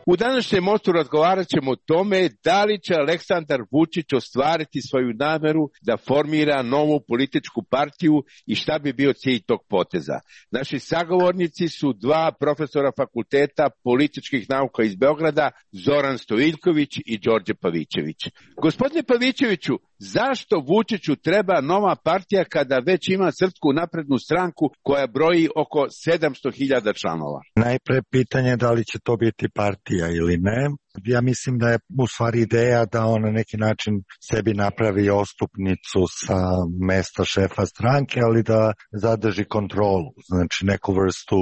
U današnjem mostu razgovarat ćemo o tome da li će Aleksandar Vučić ostvariti svoju nameru da formira novu političku partiju i šta bi bio cilj tog poteza. Naši sagovornici su dva profesora Fakulteta političkih nauka iz Beograda, Zoran Stojiljković i Đorđe Pavićević. Gospodine Pavićeviću, zašto Vučiću treba nova partija kada već ima Srpsku naprednu stranku koja broji oko sedamsto hiljada članova? Najpre pitanje da li će to biti partija ili ne. Ja mislim da je u stvari ideja da on na neki način sebi napravi ostupnicu sa mesta šefa stranke, ali da zadrži kontrolu, znači neku vrstu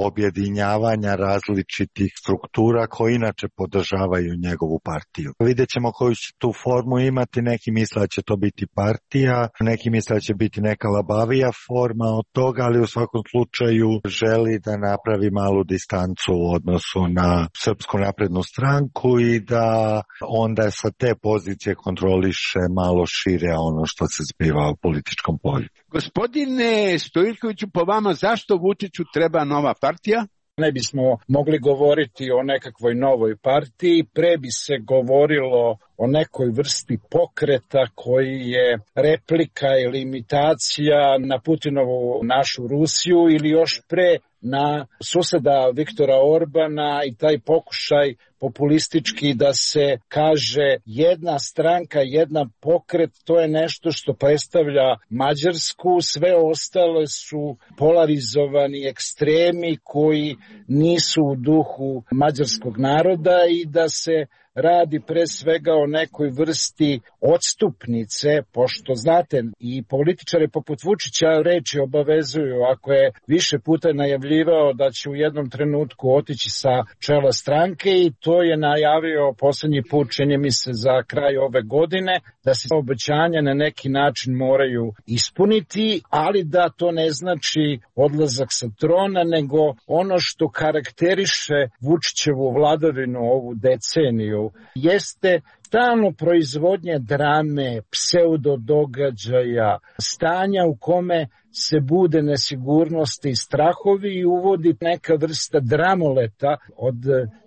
objedinjavanja različitih struktura koje inače podržavaju njegovu partiju. Vidjet ćemo koju će tu formu imati, neki misle da će to biti partija, neki misle da će biti neka labavija forma od toga, ali u svakom slučaju želi da napravi malu distancu u odnosu na Srpsku naprednu stranku i da onda sa te pozicije kontroliše malo šire ono što se zbiva u političkom polju. Gospodine Stojiljkoviću, po vama zašto Vučiću treba nova partija? Ne bismo mogli govoriti o nekakvoj novoj partiji, pre bi se govorilo o nekoj vrsti pokreta koji je replika ili imitacija na Putinovu našu Rusiju ili još pre na suseda Viktora Orbana i taj pokušaj populistički da se kaže jedna stranka, jedna pokret, to je nešto što predstavlja Mađarsku, sve ostale su polarizovani ekstremi koji nisu u duhu mađarskog naroda i da se radi pre svega o nekoj vrsti odstupnice, pošto znate i političare poput Vučića reči obavezuju, ako je više puta najavljivao da će u jednom trenutku otići sa čela stranke i to je najavio poslednji put, čini mi se za kraj ove godine, da se obećanja na neki način moraju ispuniti, ali da to ne znači odlazak sa trona, nego ono što karakteriše Vučićevu vladavinu ovu deceniju jeste stalno proizvodnje drame, pseudodogađaja, stanja u kome se bude nesigurnosti i strahovi i uvodi neka vrsta dramoleta od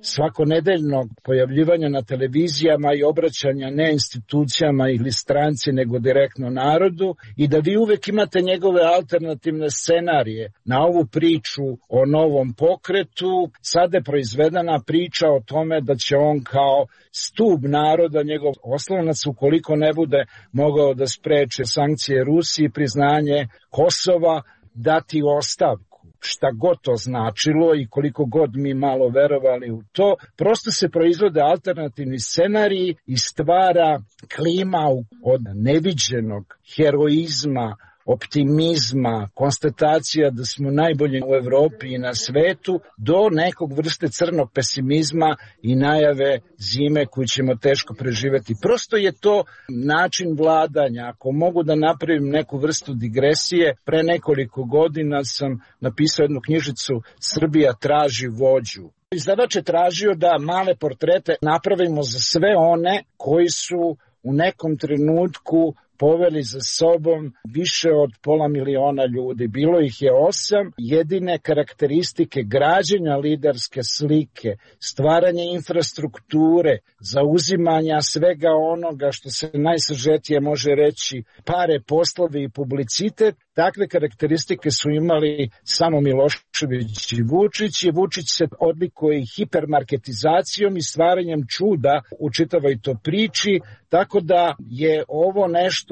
svakonedeljnog pojavljivanja na televizijama i obraćanja ne institucijama ili stranci nego direktno narodu i da vi uvek imate njegove alternativne scenarije na ovu priču o novom pokretu. Sada je proizvedena priča o tome da će on kao stub naroda, njegov oslonac, ukoliko ne bude mogao da spreče sankcije Rusiji, priznanje Kosova, dati ostavku. Šta god to značilo i koliko god mi malo verovali u to, prosto se proizvode alternativni scenariji i stvara klima od neviđenog heroizma, optimizma, konstatacija da smo najbolji u Evropi i na svetu, do nekog vrste crnog pesimizma i najave zime koju ćemo teško preživeti. Prosto je to način vladanja. Ako mogu da napravim neku vrstu digresije, pre nekoliko godina sam napisao jednu knjižicu Srbija traži vođu. Izdavač je tražio da male portrete napravimo za sve one koji su u nekom trenutku poveli za sobom više od pola miliona ljudi. Bilo ih je osam. Jedine karakteristike građenja liderske slike, stvaranje infrastrukture, zauzimanja svega onoga što se najsažetije može reći pare, poslovi i publicitet, takve karakteristike su imali samo Milošević i Vučić i Vučić se odlikuje i hipermarketizacijom i stvaranjem čuda u čitavoj to priči, tako da je ovo nešto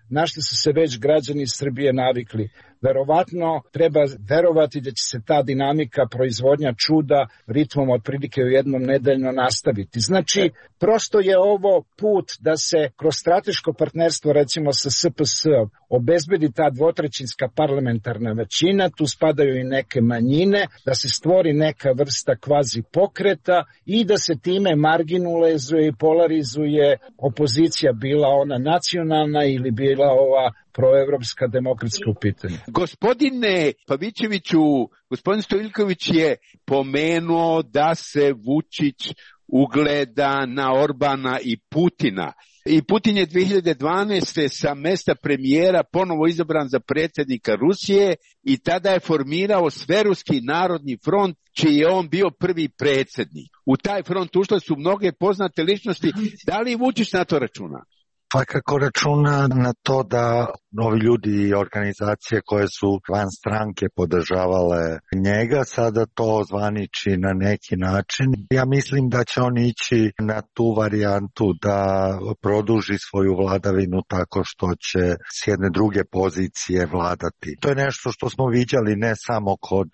na što su se već građani Srbije navikli. Verovatno treba verovati da će se ta dinamika proizvodnja čuda ritmom otprilike u jednom nedeljno nastaviti. Znači, prosto je ovo put da se kroz strateško partnerstvo, recimo sa S P S-om, obezbedi ta dvotrećinska parlamentarna većina, tu spadaju i neke manjine, da se stvori neka vrsta kvazi pokreta i da se time marginalizuje i polarizuje opozicija, bila ona nacionalna ili bila ova proevropska demokratska u pitanju. Gospodine Pavićeviću, gospodin Stojiljković je pomenuo da se Vučić ugleda na Orbana i Putina. I Putin je dve hiljade dvanaeste. sa mesta premijera ponovo izabran za predsjednika Rusije i tada je formirao Sveruski narodni front, čiji je on bio prvi predsjednik. U taj front ušle su mnoge poznate ličnosti. Da li Vučić na to računa? Svakako računa na to da novi ljudi i organizacije koje su van stranke podržavale njega, sada to zvaniči na neki način. Ja mislim da će on ići na tu varijantu da produži svoju vladavinu tako što će s jedne druge pozicije vladati. To je nešto što smo viđali ne samo kod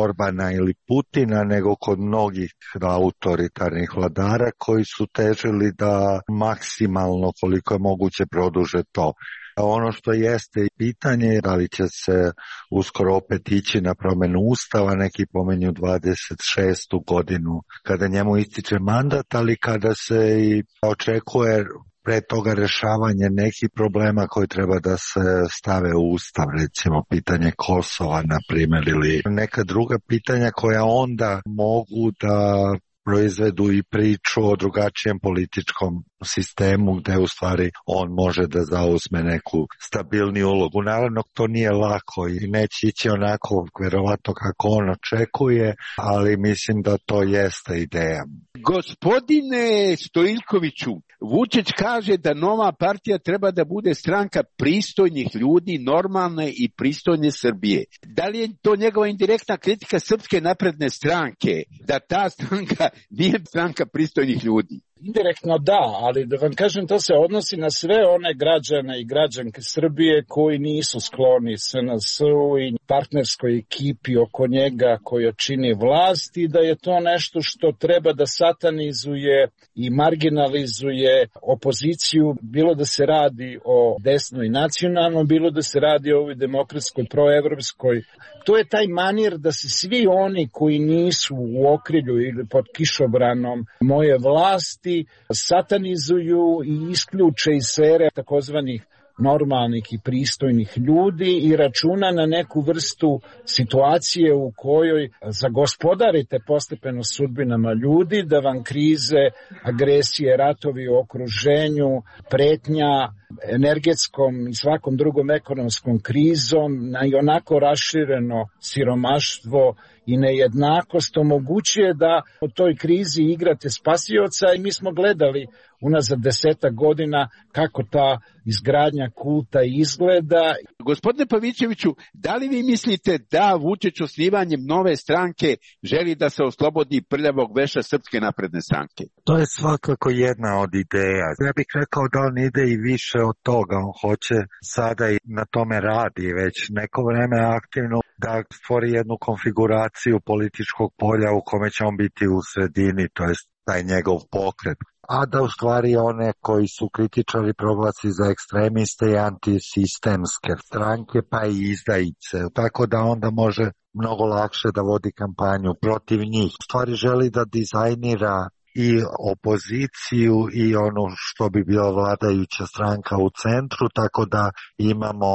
Orbana ili Putina, nego kod mnogih autoritarnih vladara koji su težili da maksimalno koliko je moguće produže to. Ono što jeste pitanje je da li će se uskoro opet ići na promjenu ustava, neki pomenju dvadeset šestu godinu kada njemu ističe mandat, ali kada se i očekuje pre toga rešavanje nekih problema koji treba da se stave u ustav, recimo pitanje Kosova, na primjer, ili neka druga pitanja koja onda mogu da proizvedu i priču o drugačijem političkom sistemu gde u stvari on može da zauzme neku stabilniju ulogu. Naravno, to nije lako i neće ići onako verovatno kako on očekuje, ali mislim da to jeste ideja. Gospodine Stojiljkoviću, Vučić kaže da nova partija treba da bude stranka pristojnih ljudi, normalne i pristojne Srbije. Da li je to njegova indirektna kritika Srpske napredne stranke, da ta stranka nije stranka pristojnih ljudi? Indirektno da, ali da vam kažem, to se odnosi na sve one građane i građanke Srbije koji nisu skloni S N S-u i partnerskoj ekipi oko njega koja čini vlast i da je to nešto što treba da satanizuje i marginalizuje opoziciju, bilo da se radi o desnoj nacionalnom, bilo da se radi o ovoj demokratskoj, proevropskoj. To je taj manir da se svi oni koji nisu u okrilju ili pod kišobranom moje vlasti satanizuju i isključe iz sfere takozvanih normalnih i pristojnih ljudi i računa na neku vrstu situacije u kojoj zagospodarite postepeno sudbinama ljudi, da vam krize, agresije, ratovi u okruženju, pretnja energetskom i svakom drugom ekonomskom krizom, na i onako rašireno siromaštvo i nejednakost omogućuje da u toj krizi igrate spasioca i mi smo gledali unazad desetak godina kako ta izgradnja kulta izgleda. Gospodine Pavićeviću, da li vi mislite da Vučić osnivanjem nove stranke želi da se oslobodi prljavog veša Srpske napredne stranke? To je svakako jedna od ideja. Ja bih rekao da on ide i više od toga. On hoće sada i na tome radi već neko vreme aktivno da stvori jednu konfiguraciju političkog polja u kome će on biti u sredini, to je taj njegov pokret. A da u stvari one koji su kritičari proglasi za ekstremiste i antisistemske stranke, pa i izdajice. Tako da onda može mnogo lakše da vodi kampanju protiv njih. U stvari želi da dizajnira i opoziciju i ono što bi bila vladajuća stranka u centru, tako da imamo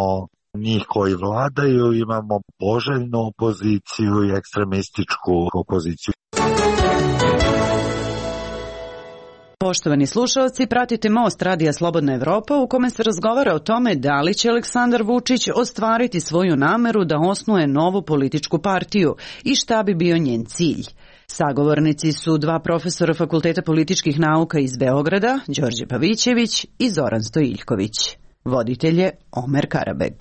njih koji vladaju, imamo poželjnu opoziciju i ekstremističku opoziciju. Poštovani slušalci, pratite Most Radija Slobodna Evropa u kome se razgovara o tome da li će Aleksandar Vučić ostvariti svoju nameru da osnuje novu političku partiju i šta bi bio njen cilj. Sagovornici su dva profesora Fakulteta političkih nauka iz Beograda, Đorđe Pavićević i Zoran Stojiljković. Voditelj je Omer Karabeg.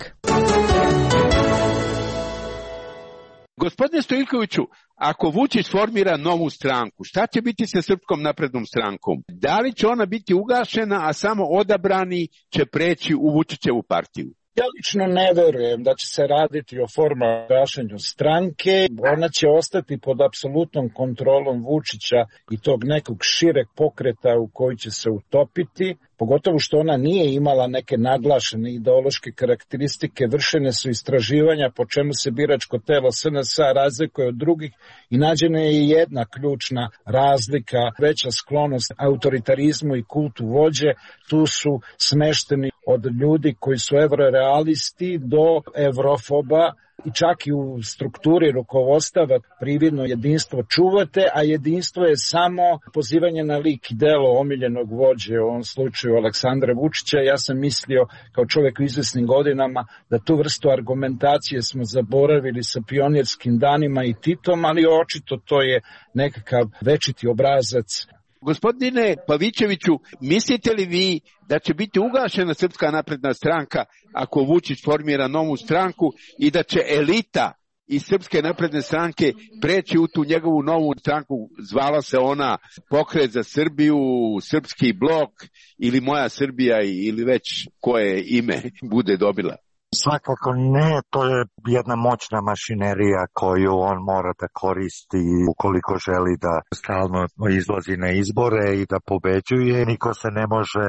Gospodine Stojiljkoviću, ako Vučić formira novu stranku, šta će biti sa Srpskom naprednom strankom? Da li će ona biti ugašena, a samo odabrani će preći u Vučićevu partiju? Ja lično ne verujem da će se raditi o formalnom gašenju stranke. Ona će ostati pod apsolutnom kontrolom Vučića i tog nekog šireg pokreta u koji će se utopiti. Pogotovo što ona nije imala neke naglašene ideološke karakteristike, vršene su istraživanja po čemu se biračko telo S N S-a razlikuje od drugih i nađena je jedna ključna razlika, veća sklonost autoritarizmu i kultu vođe. Tu su smešteni od ljudi koji su evrorealisti do evrofoba, i čak i u strukturi rukovodstava prividno jedinstvo čuvate, a jedinstvo je samo pozivanje na lik i delo omiljenog vođe, u ovom slučaju Aleksandra Vučića. Ja sam mislio kao čovjek u izvesnim godinama da tu vrstu argumentacije smo zaboravili sa pionirskim danima i Titom, ali očito to je nekakav večiti obrazac. Gospodine Pavićeviću, mislite li vi da će biti ugašena Srpska napredna stranka ako Vučić formira novu stranku i da će elita iz Srpske napredne stranke preći u tu njegovu novu stranku, zvala se ona Pokret za Srbiju, Srpski blok ili Moja Srbija ili već koje ime bude dobila? Svakako ne, to je jedna moćna mašinerija koju on mora da koristi ukoliko želi da stalno izlazi na izbore i da pobeđuje. Niko se ne može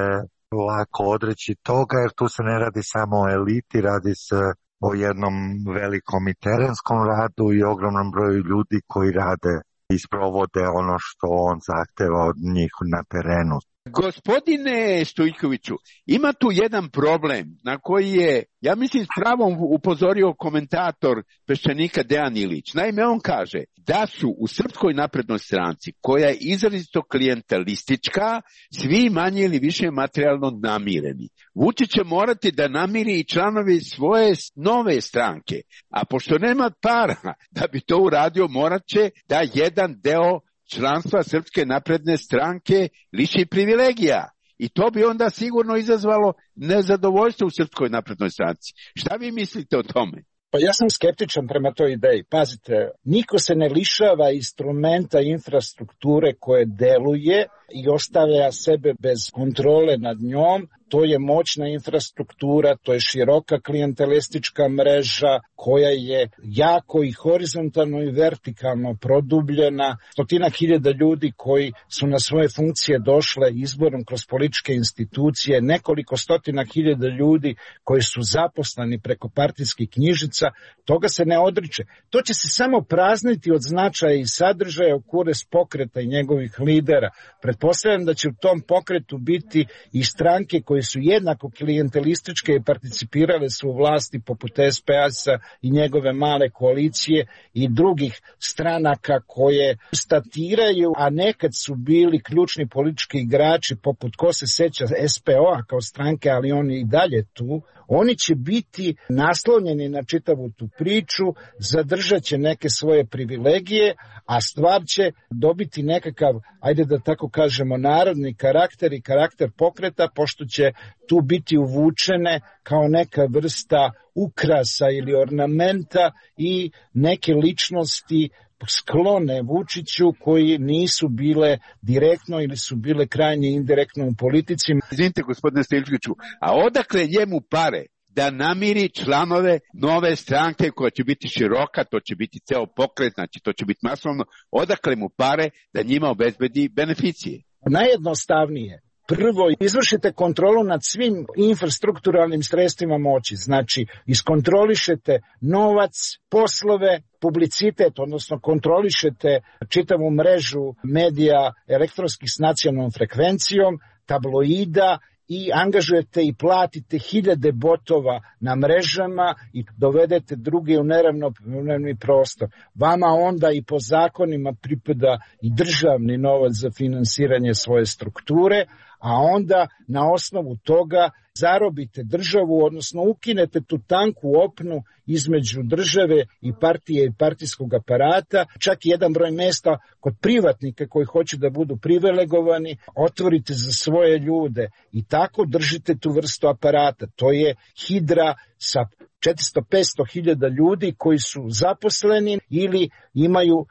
lako odreći toga jer tu se ne radi samo o eliti, radi se o jednom velikom i terenskom radu i ogromnom broju ljudi koji rade i sprovode ono što on zahteva od njih na terenu. Gospodine Stojiljkoviću, ima tu jedan problem na koji je, ja mislim, s pravom upozorio komentator Peščanika Dejan Ilić. Naime, on kaže da su u Srpskoj naprednoj stranci, koja je izrazito klijentelistička, svi manje ili više materijalno namireni. Vučić će morati da namiri i članovi svoje nove stranke, a pošto nema para da bi to uradio, morat će da jedan deo članstva Srpske napredne stranke liši privilegija. I to bi onda sigurno izazvalo nezadovoljstvo u Srpskoj naprednoj stranci. Šta vi mislite o tome? Pa ja sam skeptičan prema toj ideji. Pazite, niko se ne lišava instrumenta infrastrukture koje deluje i ostavlja sebe bez kontrole nad njom. To je moćna infrastruktura, to je široka klijentelistička mreža koja je jako i horizontalno i vertikalno produbljena. Stotina hiljada ljudi koji su na svoje funkcije došle izborom kroz političke institucije, nekoliko stotina hiljada ljudi koji su zaposleni preko partijskih knjižica, toga se ne odriče. To će se samo prazniti od značaja i sadržaja u korist pokreta i njegovih lidera. Pretpostavljam da će u tom pokretu biti i stranke koje koje su jednako klijentelističke i participirale su u vlasti poput S P A-a i njegove male koalicije i drugih stranaka koje statiraju, a nekad su bili ključni politički igrači poput, ko se seća, S P O-a kao stranke, ali oni i dalje tu, oni će biti naslonjeni na čitavu tu priču, zadržat će neke svoje privilegije, a stvar će dobiti nekakav, ajde da tako kažemo, narodni karakter i karakter pokreta, pošto će tu biti uvučene kao neka vrsta ukrasa ili ornamenta i neke ličnosti sklone Vučiću koji nisu bile direktno ili su bile krajnje indirektno u politici. Izvinite, gospodine Stojilčiću, a odakle njemu pare da namiri članove nove stranke koja će biti široka, to će biti ceo pokret, znači to će biti masovno, odakle mu pare da njima obezbedi beneficije? Najjednostavnije. Prvo, izvršite kontrolu nad svim infrastrukturalnim sredstvima moći, znači iskontrolišete novac, poslove, publicitet, odnosno kontrolišete čitavu mrežu medija elektronskih s nacionalnom frekvencijom, tabloida, i angažujete i platite hiljade botova na mrežama i dovedete druge u neravnopravni prostor. Vama onda i po zakonima pripada i državni novac za finansiranje svoje strukture, a onda na osnovu toga zarobite državu, odnosno ukinete tu tanku opnu između države i partije i partijskog aparata, čak i jedan broj mesta kod privatnika koji hoće da budu privilegovani, otvorite za svoje ljude i tako držite tu vrstu aparata. To je hidra sa četiristo do petsto hiljada ljudi koji su zaposleni ili imaju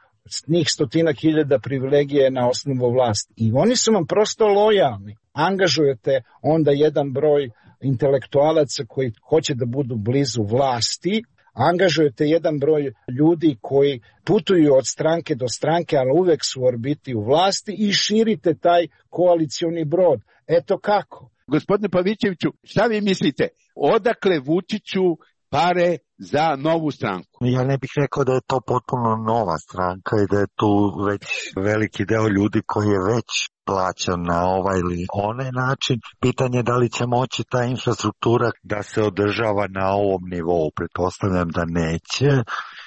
njih stotinak hiljada privilegije na osnovu vlasti. I oni su vam prosto lojalni. Angažujete onda jedan broj intelektualaca koji hoće da budu blizu vlasti, angažujete jedan broj ljudi koji putuju od stranke do stranke, ali uvek su u orbiti u vlasti i širite taj koalicioni brod. Eto kako. Gospodine Pavićeviću, šta vi mislite? Odakle Vučiću pare za novu stranku? Ja ne bih rekao da je to potpuno nova stranka i da je tu već veliki deo ljudi koji je već plaćan na ovaj ili onaj način. Pitanje je da li će moći ta infrastruktura da se održava na ovom nivou. Pretpostavljam da neće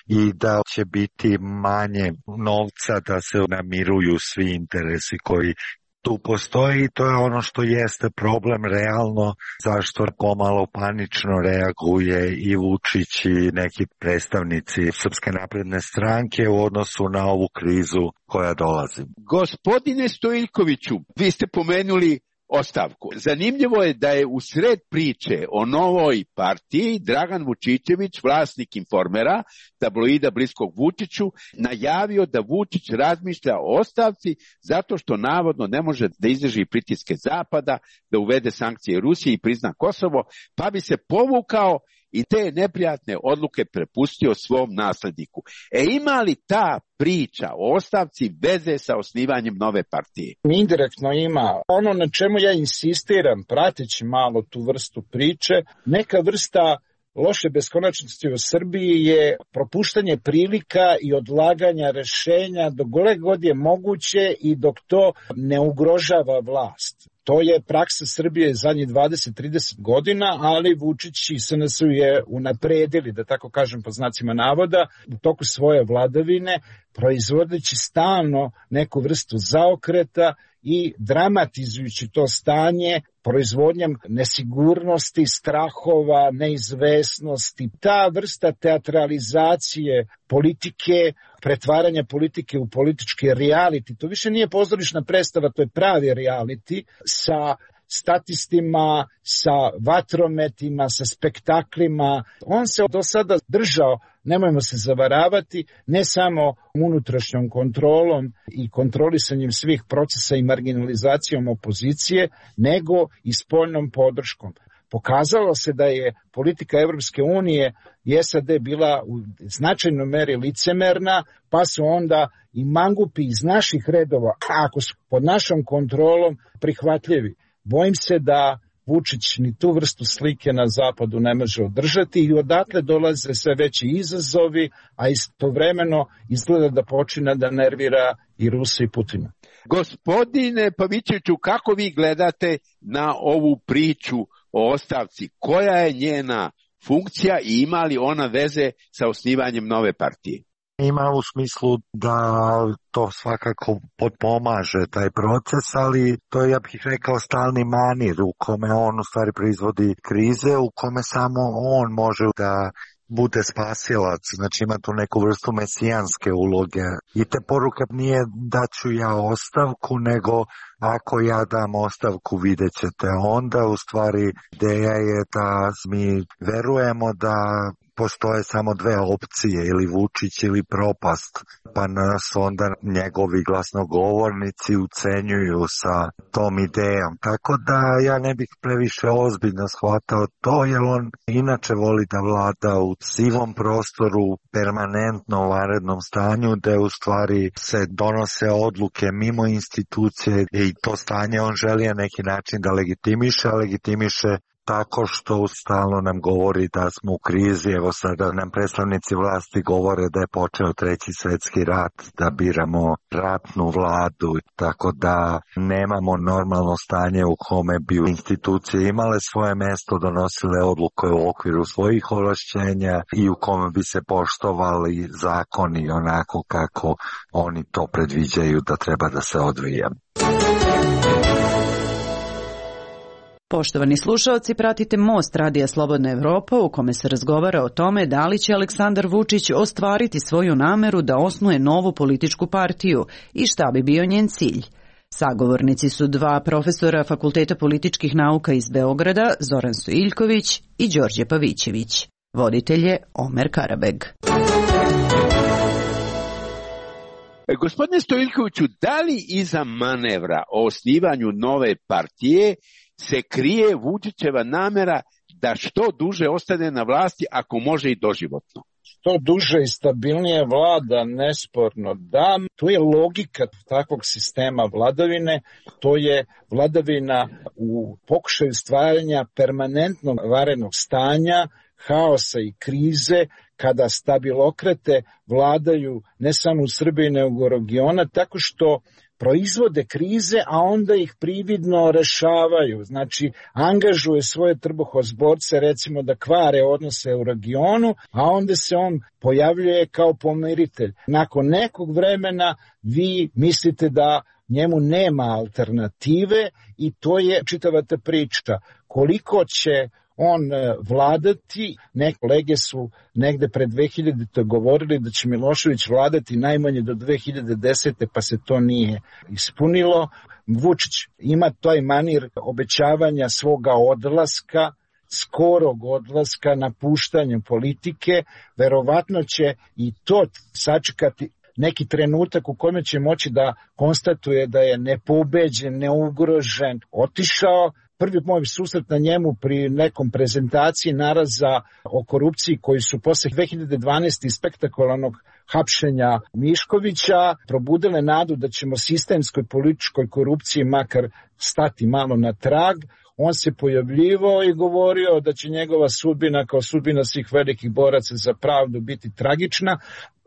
i da će biti manje novca da se namiruju svi interesi koji tu postoji i to je ono što jeste problem realno, zašto pomalo panično reaguje i Vučić i neki predstavnici Srpske napredne stranke u odnosu na ovu krizu koja dolazi. Gospodine Stojiljkoviću, vi ste pomenuli ostavku. Zanimljivo je da je u sred priče o novoj partiji Dragan Vučićević, vlasnik Informera, tabloida bliskog Vučiću, najavio da Vučić razmišlja o ostavci zato što navodno ne može da izdrži pritiske Zapada, da uvede sankcije Rusije i prizna Kosovo, pa bi se povukao i te neprijatne odluke prepustio svom nasledniku. E ima li ta priča o ostavci veze sa osnivanjem nove partije? Indirektno ima. Ono na čemu ja insistiram, prateći malo tu vrstu priče, neka vrsta loše beskonačnosti u Srbiji je propuštanje prilika i odlaganja rešenja dok god je moguće i dok to ne ugrožava vlast. To je praksa Srbije zadnjih dvadeset do trideset godina, ali Vučić i S N S je unapredili, da tako kažem po znacima navoda, u toku svoje vladavine, proizvodeći stalno neku vrstu zaokreta i dramatizujući to stanje proizvodnjom nesigurnosti, strahova, neizvesnosti. Ta vrsta teatralizacije politike, pretvaranja politike u politički reality, to više nije pozorišna predstava, to je pravi reality sa statistima, sa vatrometima, sa spektaklima. On se do sada držao, nemojmo se zavaravati, ne samo unutrašnjom kontrolom i kontrolisanjem svih procesa i marginalizacijom opozicije, nego i spoljnom podrškom. Pokazalo se da je politika Evropske unije i S A D bila u značajnoj meri licemerna, pa su onda i mangupi iz naših redova, ako su pod našom kontrolom, prihvatljivi. Bojim se da Vučić ni tu vrstu slike na zapadu ne može održati i odatle dolaze sve veći izazovi, a istovremeno izgleda da počine da nervira i Rusa i Putina. Gospodine Pavićeviću, kako vi gledate na ovu priču o ostavci? Koja je njena funkcija i ima li ona veze sa osnivanjem nove partije? Ima u smislu da to svakako potpomaže taj proces, ali to je, ja bih rekao, stalni manir u kome on u stvari proizvodi krize, u kome samo on može da bude spasilac, znači ima tu neku vrstu mesijanske uloge. I te poruka nije da ću ja ostavku, nego ako ja dam ostavku vidjet ćete. Onda u stvari ideja je da mi verujemo da postoje samo dve opcije, ili Vučić ili propast, pa nas onda njegovi glasnogovornici ucenjuju sa tom idejom. Tako da ja ne bih previše ozbiljno shvatao to, jer on inače voli da vlada u sivom prostoru, permanentno u vanrednom stanju, da u stvari se donose odluke mimo institucije i to stanje on želi na neki način da legitimiše, a legitimiše tako što stalno nam govori da smo u krizi. Evo sada nam predstavnici vlasti govore da je počeo treći svjetski rat, da biramo ratnu vladu, tako da nemamo normalno stanje u kome bi institucije imale svoje mjesto, donosile odluke u okviru svojih ovlašćenja i u kome bi se poštovali zakoni onako kako oni to predviđaju da treba da se odvija. Poštovani slušaoci, pratite Most Radija Slobodna Evropa u kome se razgovara o tome da li će Aleksandar Vučić ostvariti svoju nameru da osnuje novu političku partiju i šta bi bio njen cilj. Sagovornici su dva profesora Fakulteta političkih nauka iz Beograda, Zoran Stojiljković i Đorđe Pavićević. Voditelj je Omer Karabeg. Gospodine Stojiljkoviću, da li iza manevra o osnivanju nove partije se krije Vučićeva namera da što duže ostane na vlasti, ako može i doživotno? Što duže i stabilnije vlada, nesporno da. To je logika takvog sistema vladavine, to je vladavina u pokušaju stvaranja permanentnog vanrednog stanja, haosa i krize, kada stabilokrate vladaju ne samo u Srbiji nego u regionu, tako što proizvode krize, a onda ih prividno rešavaju. Znači, angažuje svoje trbuhozborce, recimo da kvare odnose u regionu, a onda se on pojavljuje kao pomiritelj. Nakon nekog vremena vi mislite da njemu nema alternative i to je čitava ta priča. Koliko će on vladati, neke kolege su negde pred dve hiljadite govorili da će Milošević vladati najmanje do dve hiljade desete, pa se to nije ispunilo. Vučić ima taj manir obećavanja svoga odlaska, skorog odlaska, napuštanjem politike, verovatno će i to sačekati neki trenutak u kome će moći da konstatuje da je nepobeđen, neugrožen, otišao. Prvi moj susret na njemu pri nekom prezentaciji naraza o korupciji koji su posle dve hiljade dvanaeste. spektakularnog hapšenja Miškovića probudile nadu da ćemo sistemskoj političkoj korupciji makar stati malo na trag. On se pojavljivao i govorio da će njegova sudbina kao sudbina svih velikih boraca za pravdu biti tragična,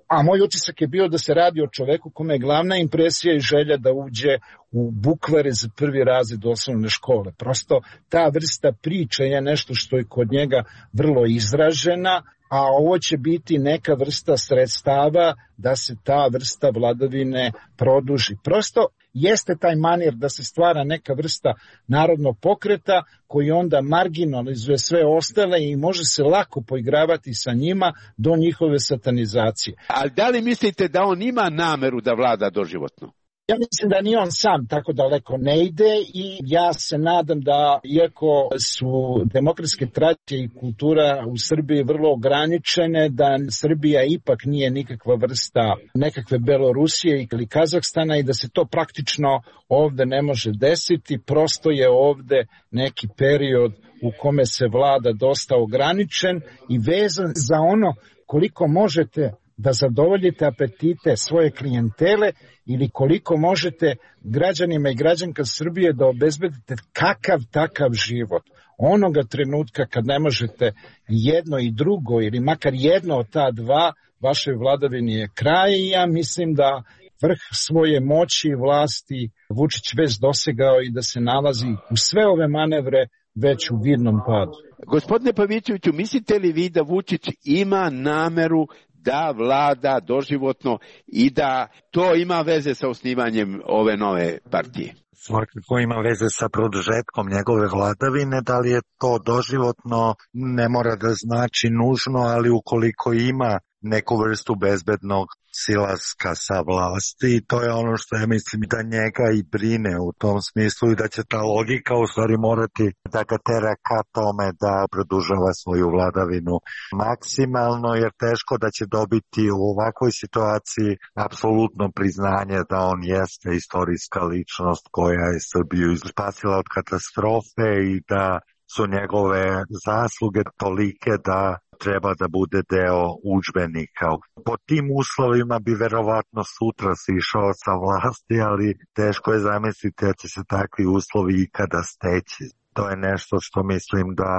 a moj utisak je bio da se radi o čoveku kome je glavna impresija i želja da uđe u bukvare za prvi razred osnovne škole. Prosto ta vrsta priče je nešto što je kod njega vrlo izražena, a ovo će biti neka vrsta sredstava da se ta vrsta vladavine produži. Prosto jeste taj manir da se stvara neka vrsta narodnog pokreta koji onda marginalizuje sve ostale i može se lako poigravati sa njima do njihove satanizacije. Ali da li mislite da on ima nameru da vlada doživotno? Ja mislim da ni on sam tako daleko ne ide i ja se nadam da, iako su demokratske tradicije i kultura u Srbiji vrlo ograničene, da Srbija ipak nije nikakva vrsta nekakve Belorusije ili Kazahstana i da se to praktično ovde ne može desiti. Prosto je ovde neki period u kome se vlada dosta ograničen i vezan za ono koliko možete da zadovoljite apetite svoje klijentele ili koliko možete građanima i građanka Srbije da obezbedite kakav takav život. Onoga trenutka kad ne možete jedno i drugo ili makar jedno od ta dva, vašoj vladavini je kraj i ja mislim da vrh svoje moći i vlasti Vučić već dosegao i da se nalazi u sve ove manevre već u vidnom padu. Gospodine Pavićeviću, mislite li vi da Vučić ima nameru da vlada doživotno i da to ima veze sa osnivanjem ove nove partije? Svakako ima veze sa produžetkom njegove vladavine, da li je to doživotno ne mora da znači nužno, ali ukoliko ima neku vrstu bezbednog silaska sa vlasti, to je ono što ja mislim da njega i brine u tom smislu i da će ta logika u stvari morati da ga tera ka tome da produžava svoju vladavinu maksimalno, jer teško da će dobiti u ovakvoj situaciji apsolutno priznanje da on jeste istorijska ličnost koja je Srbiju spasila od katastrofe i da su njegove zasluge tolike da treba da bude deo udžbenika. Po tim uslovima bi verovatno sutra se išao sa vlasti, ali teško je zamisliti da će se takvi uslovi ikada steći. To je nešto što mislim da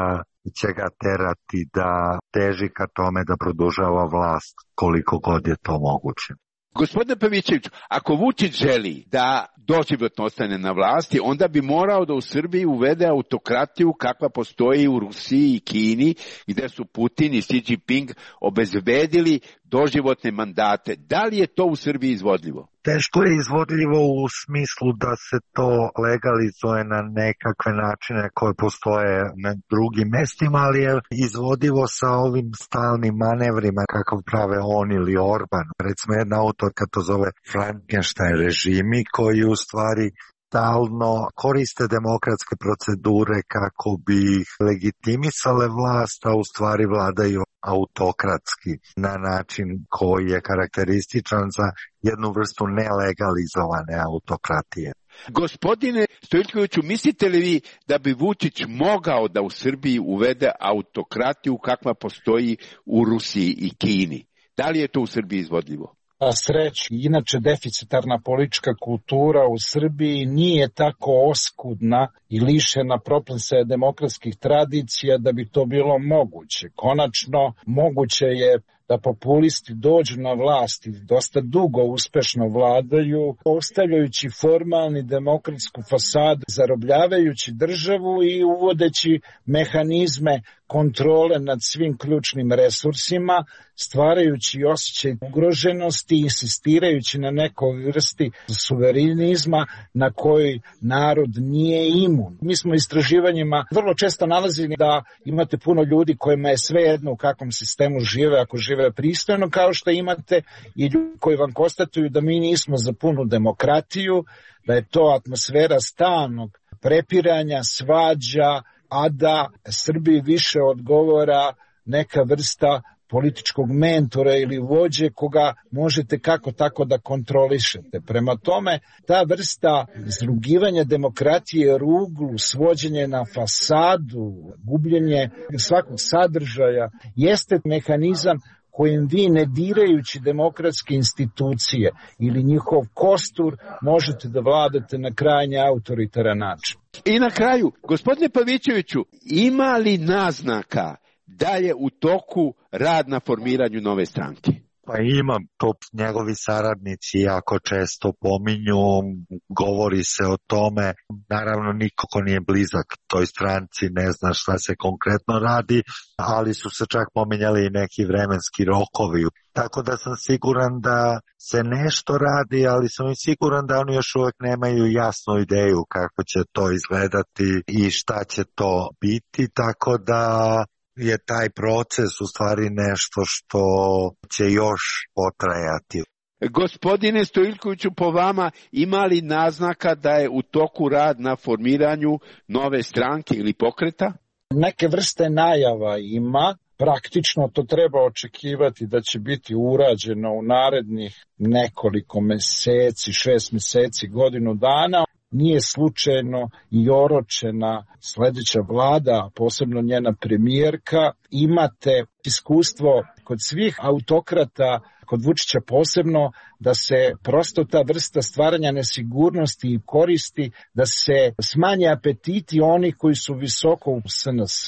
će ga terati da teži ka tome da produžava vlast koliko god je to moguće. Gospodine Pavićeviću, ako Vučić želi da doživotno ostane na vlasti, onda bi morao da u Srbiji uvede autokratiju kakva postoji u Rusiji i Kini, gde su Putin i Xi Jinping obezbedili doživotne mandate. Da li je to u Srbiji izvodljivo? Teško je izvodljivo u smislu da se to legalizuje na nekakve načine koje postoje na drugim mestima, ali je izvodivo sa ovim stalnim manevrima kakav prave on ili Orban. Recimo jedna autorka to zove Frankenstein režimi koji u stvari stalno koriste demokratske procedure kako bi ih legitimisale vlast, a u stvari vladaju autokratski na način koji je karakterističan za jednu vrstu nelegalizovane autokratije. Gospodine Stojiljkoviću, mislite li vi da bi Vučić mogao da u Srbiji uvede autokratiju kakva postoji u Rusiji i Kini? Da li je to u Srbiji izvodljivo? A sreću, inače deficitarna politička kultura u Srbiji nije tako oskudna i lišena proplesaja demokratskih tradicija da bi to bilo moguće. Konačno, moguće je da populisti dođu na vlast i dosta dugo uspešno vladaju, ostavljajući formalni demokratsku fasadu, zarobljavajući državu i uvodeći mehanizme kontrole nad svim ključnim resursima, stvarajući osjećaj ugroženosti i insistirajući na nekoj vrsti suverenizma na koji narod nije imun. Mi smo istraživanjima vrlo često nalazili da imate puno ljudi kojima je svejedno u kakvom sistemu žive, ako žive pristojno, kao što imate i ljudi koji vam konstatuju da mi nismo za punu demokratiju, da je to atmosfera stalnog prepiranja, svađa, a da Srbiji više odgovara neka vrsta političkog mentora ili vođe koga možete kako tako da kontrolišete. Prema tome, ta vrsta izrugivanja demokratije ruglu, svođenje na fasadu, gubljenje svakog sadržaja, jeste mehanizam kojim vi, ne dirajući demokratske institucije ili njihov kostur, možete da vladate na krajnje autoritaran način. I na kraju, gospodine Pavićeviću, ima li naznaka da je u toku rad na formiranju nove stranke? Pa imam, to njegovi saradnici jako često pominju, govori se o tome, naravno niko ko nije blizak toj stranci ne zna šta se konkretno radi, ali su se čak pominjali i neki vremenski rokovi. Tako da sam siguran da se nešto radi, ali sam i siguran da oni još uvek nemaju jasnu ideju kako će to izgledati i šta će to biti, tako da je taj proces u stvari nešto što će još potrajati. Gospodine Stojiljkoviću, po vama ima li naznaka da je u toku rad na formiranju nove stranke ili pokreta? Neke vrste najava ima. Praktično to treba očekivati da će biti urađeno u narednih nekoliko meseci, šest meseci, godinu dana. Nije slučajno i oročena sledeća vlada, posebno njena premijerka. Imate iskustvo kod svih autokrata kod Vučića posebno, da se prosto ta vrsta stvaranja nesigurnosti i koristi, da se smanje apetiti oni koji su visoko u S N S,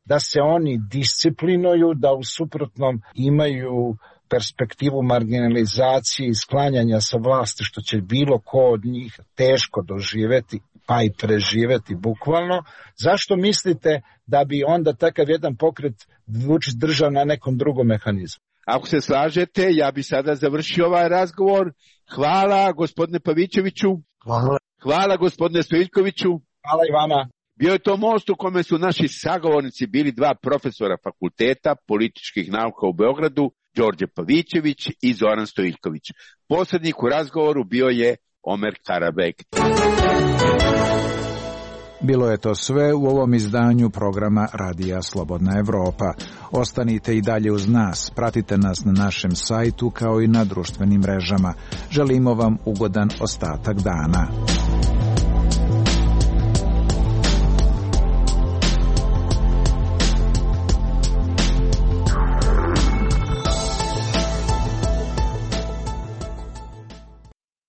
da se oni disciplinuju, da u suprotnom imaju perspektivu marginalizacije i sklanjanja sa vlasti, što će bilo ko od njih teško doživeti, pa i preživeti bukvalno. Zašto mislite da bi onda takav jedan pokret Vučić držao na nekom drugom mehanizmu? Ako se slažete, ja bi sada završio ovaj razgovor. Hvala gospodine Pavićeviću. Hvala. Hvala gospodine Stojiljkoviću. Hvala i vama. Bio je to most u kome su naši sagovornici bili dva profesora fakulteta političkih nauka u Beogradu, Đorđe Pavićević i Zoran Stojiljković. Posrednik u razgovoru bio je Omer Karabek. Bilo je to sve u ovom izdanju programa Radija Slobodna Evropa. Ostanite i dalje uz nas, pratite nas na našem sajtu kao i na društvenim mrežama. Želimo vam ugodan ostatak dana.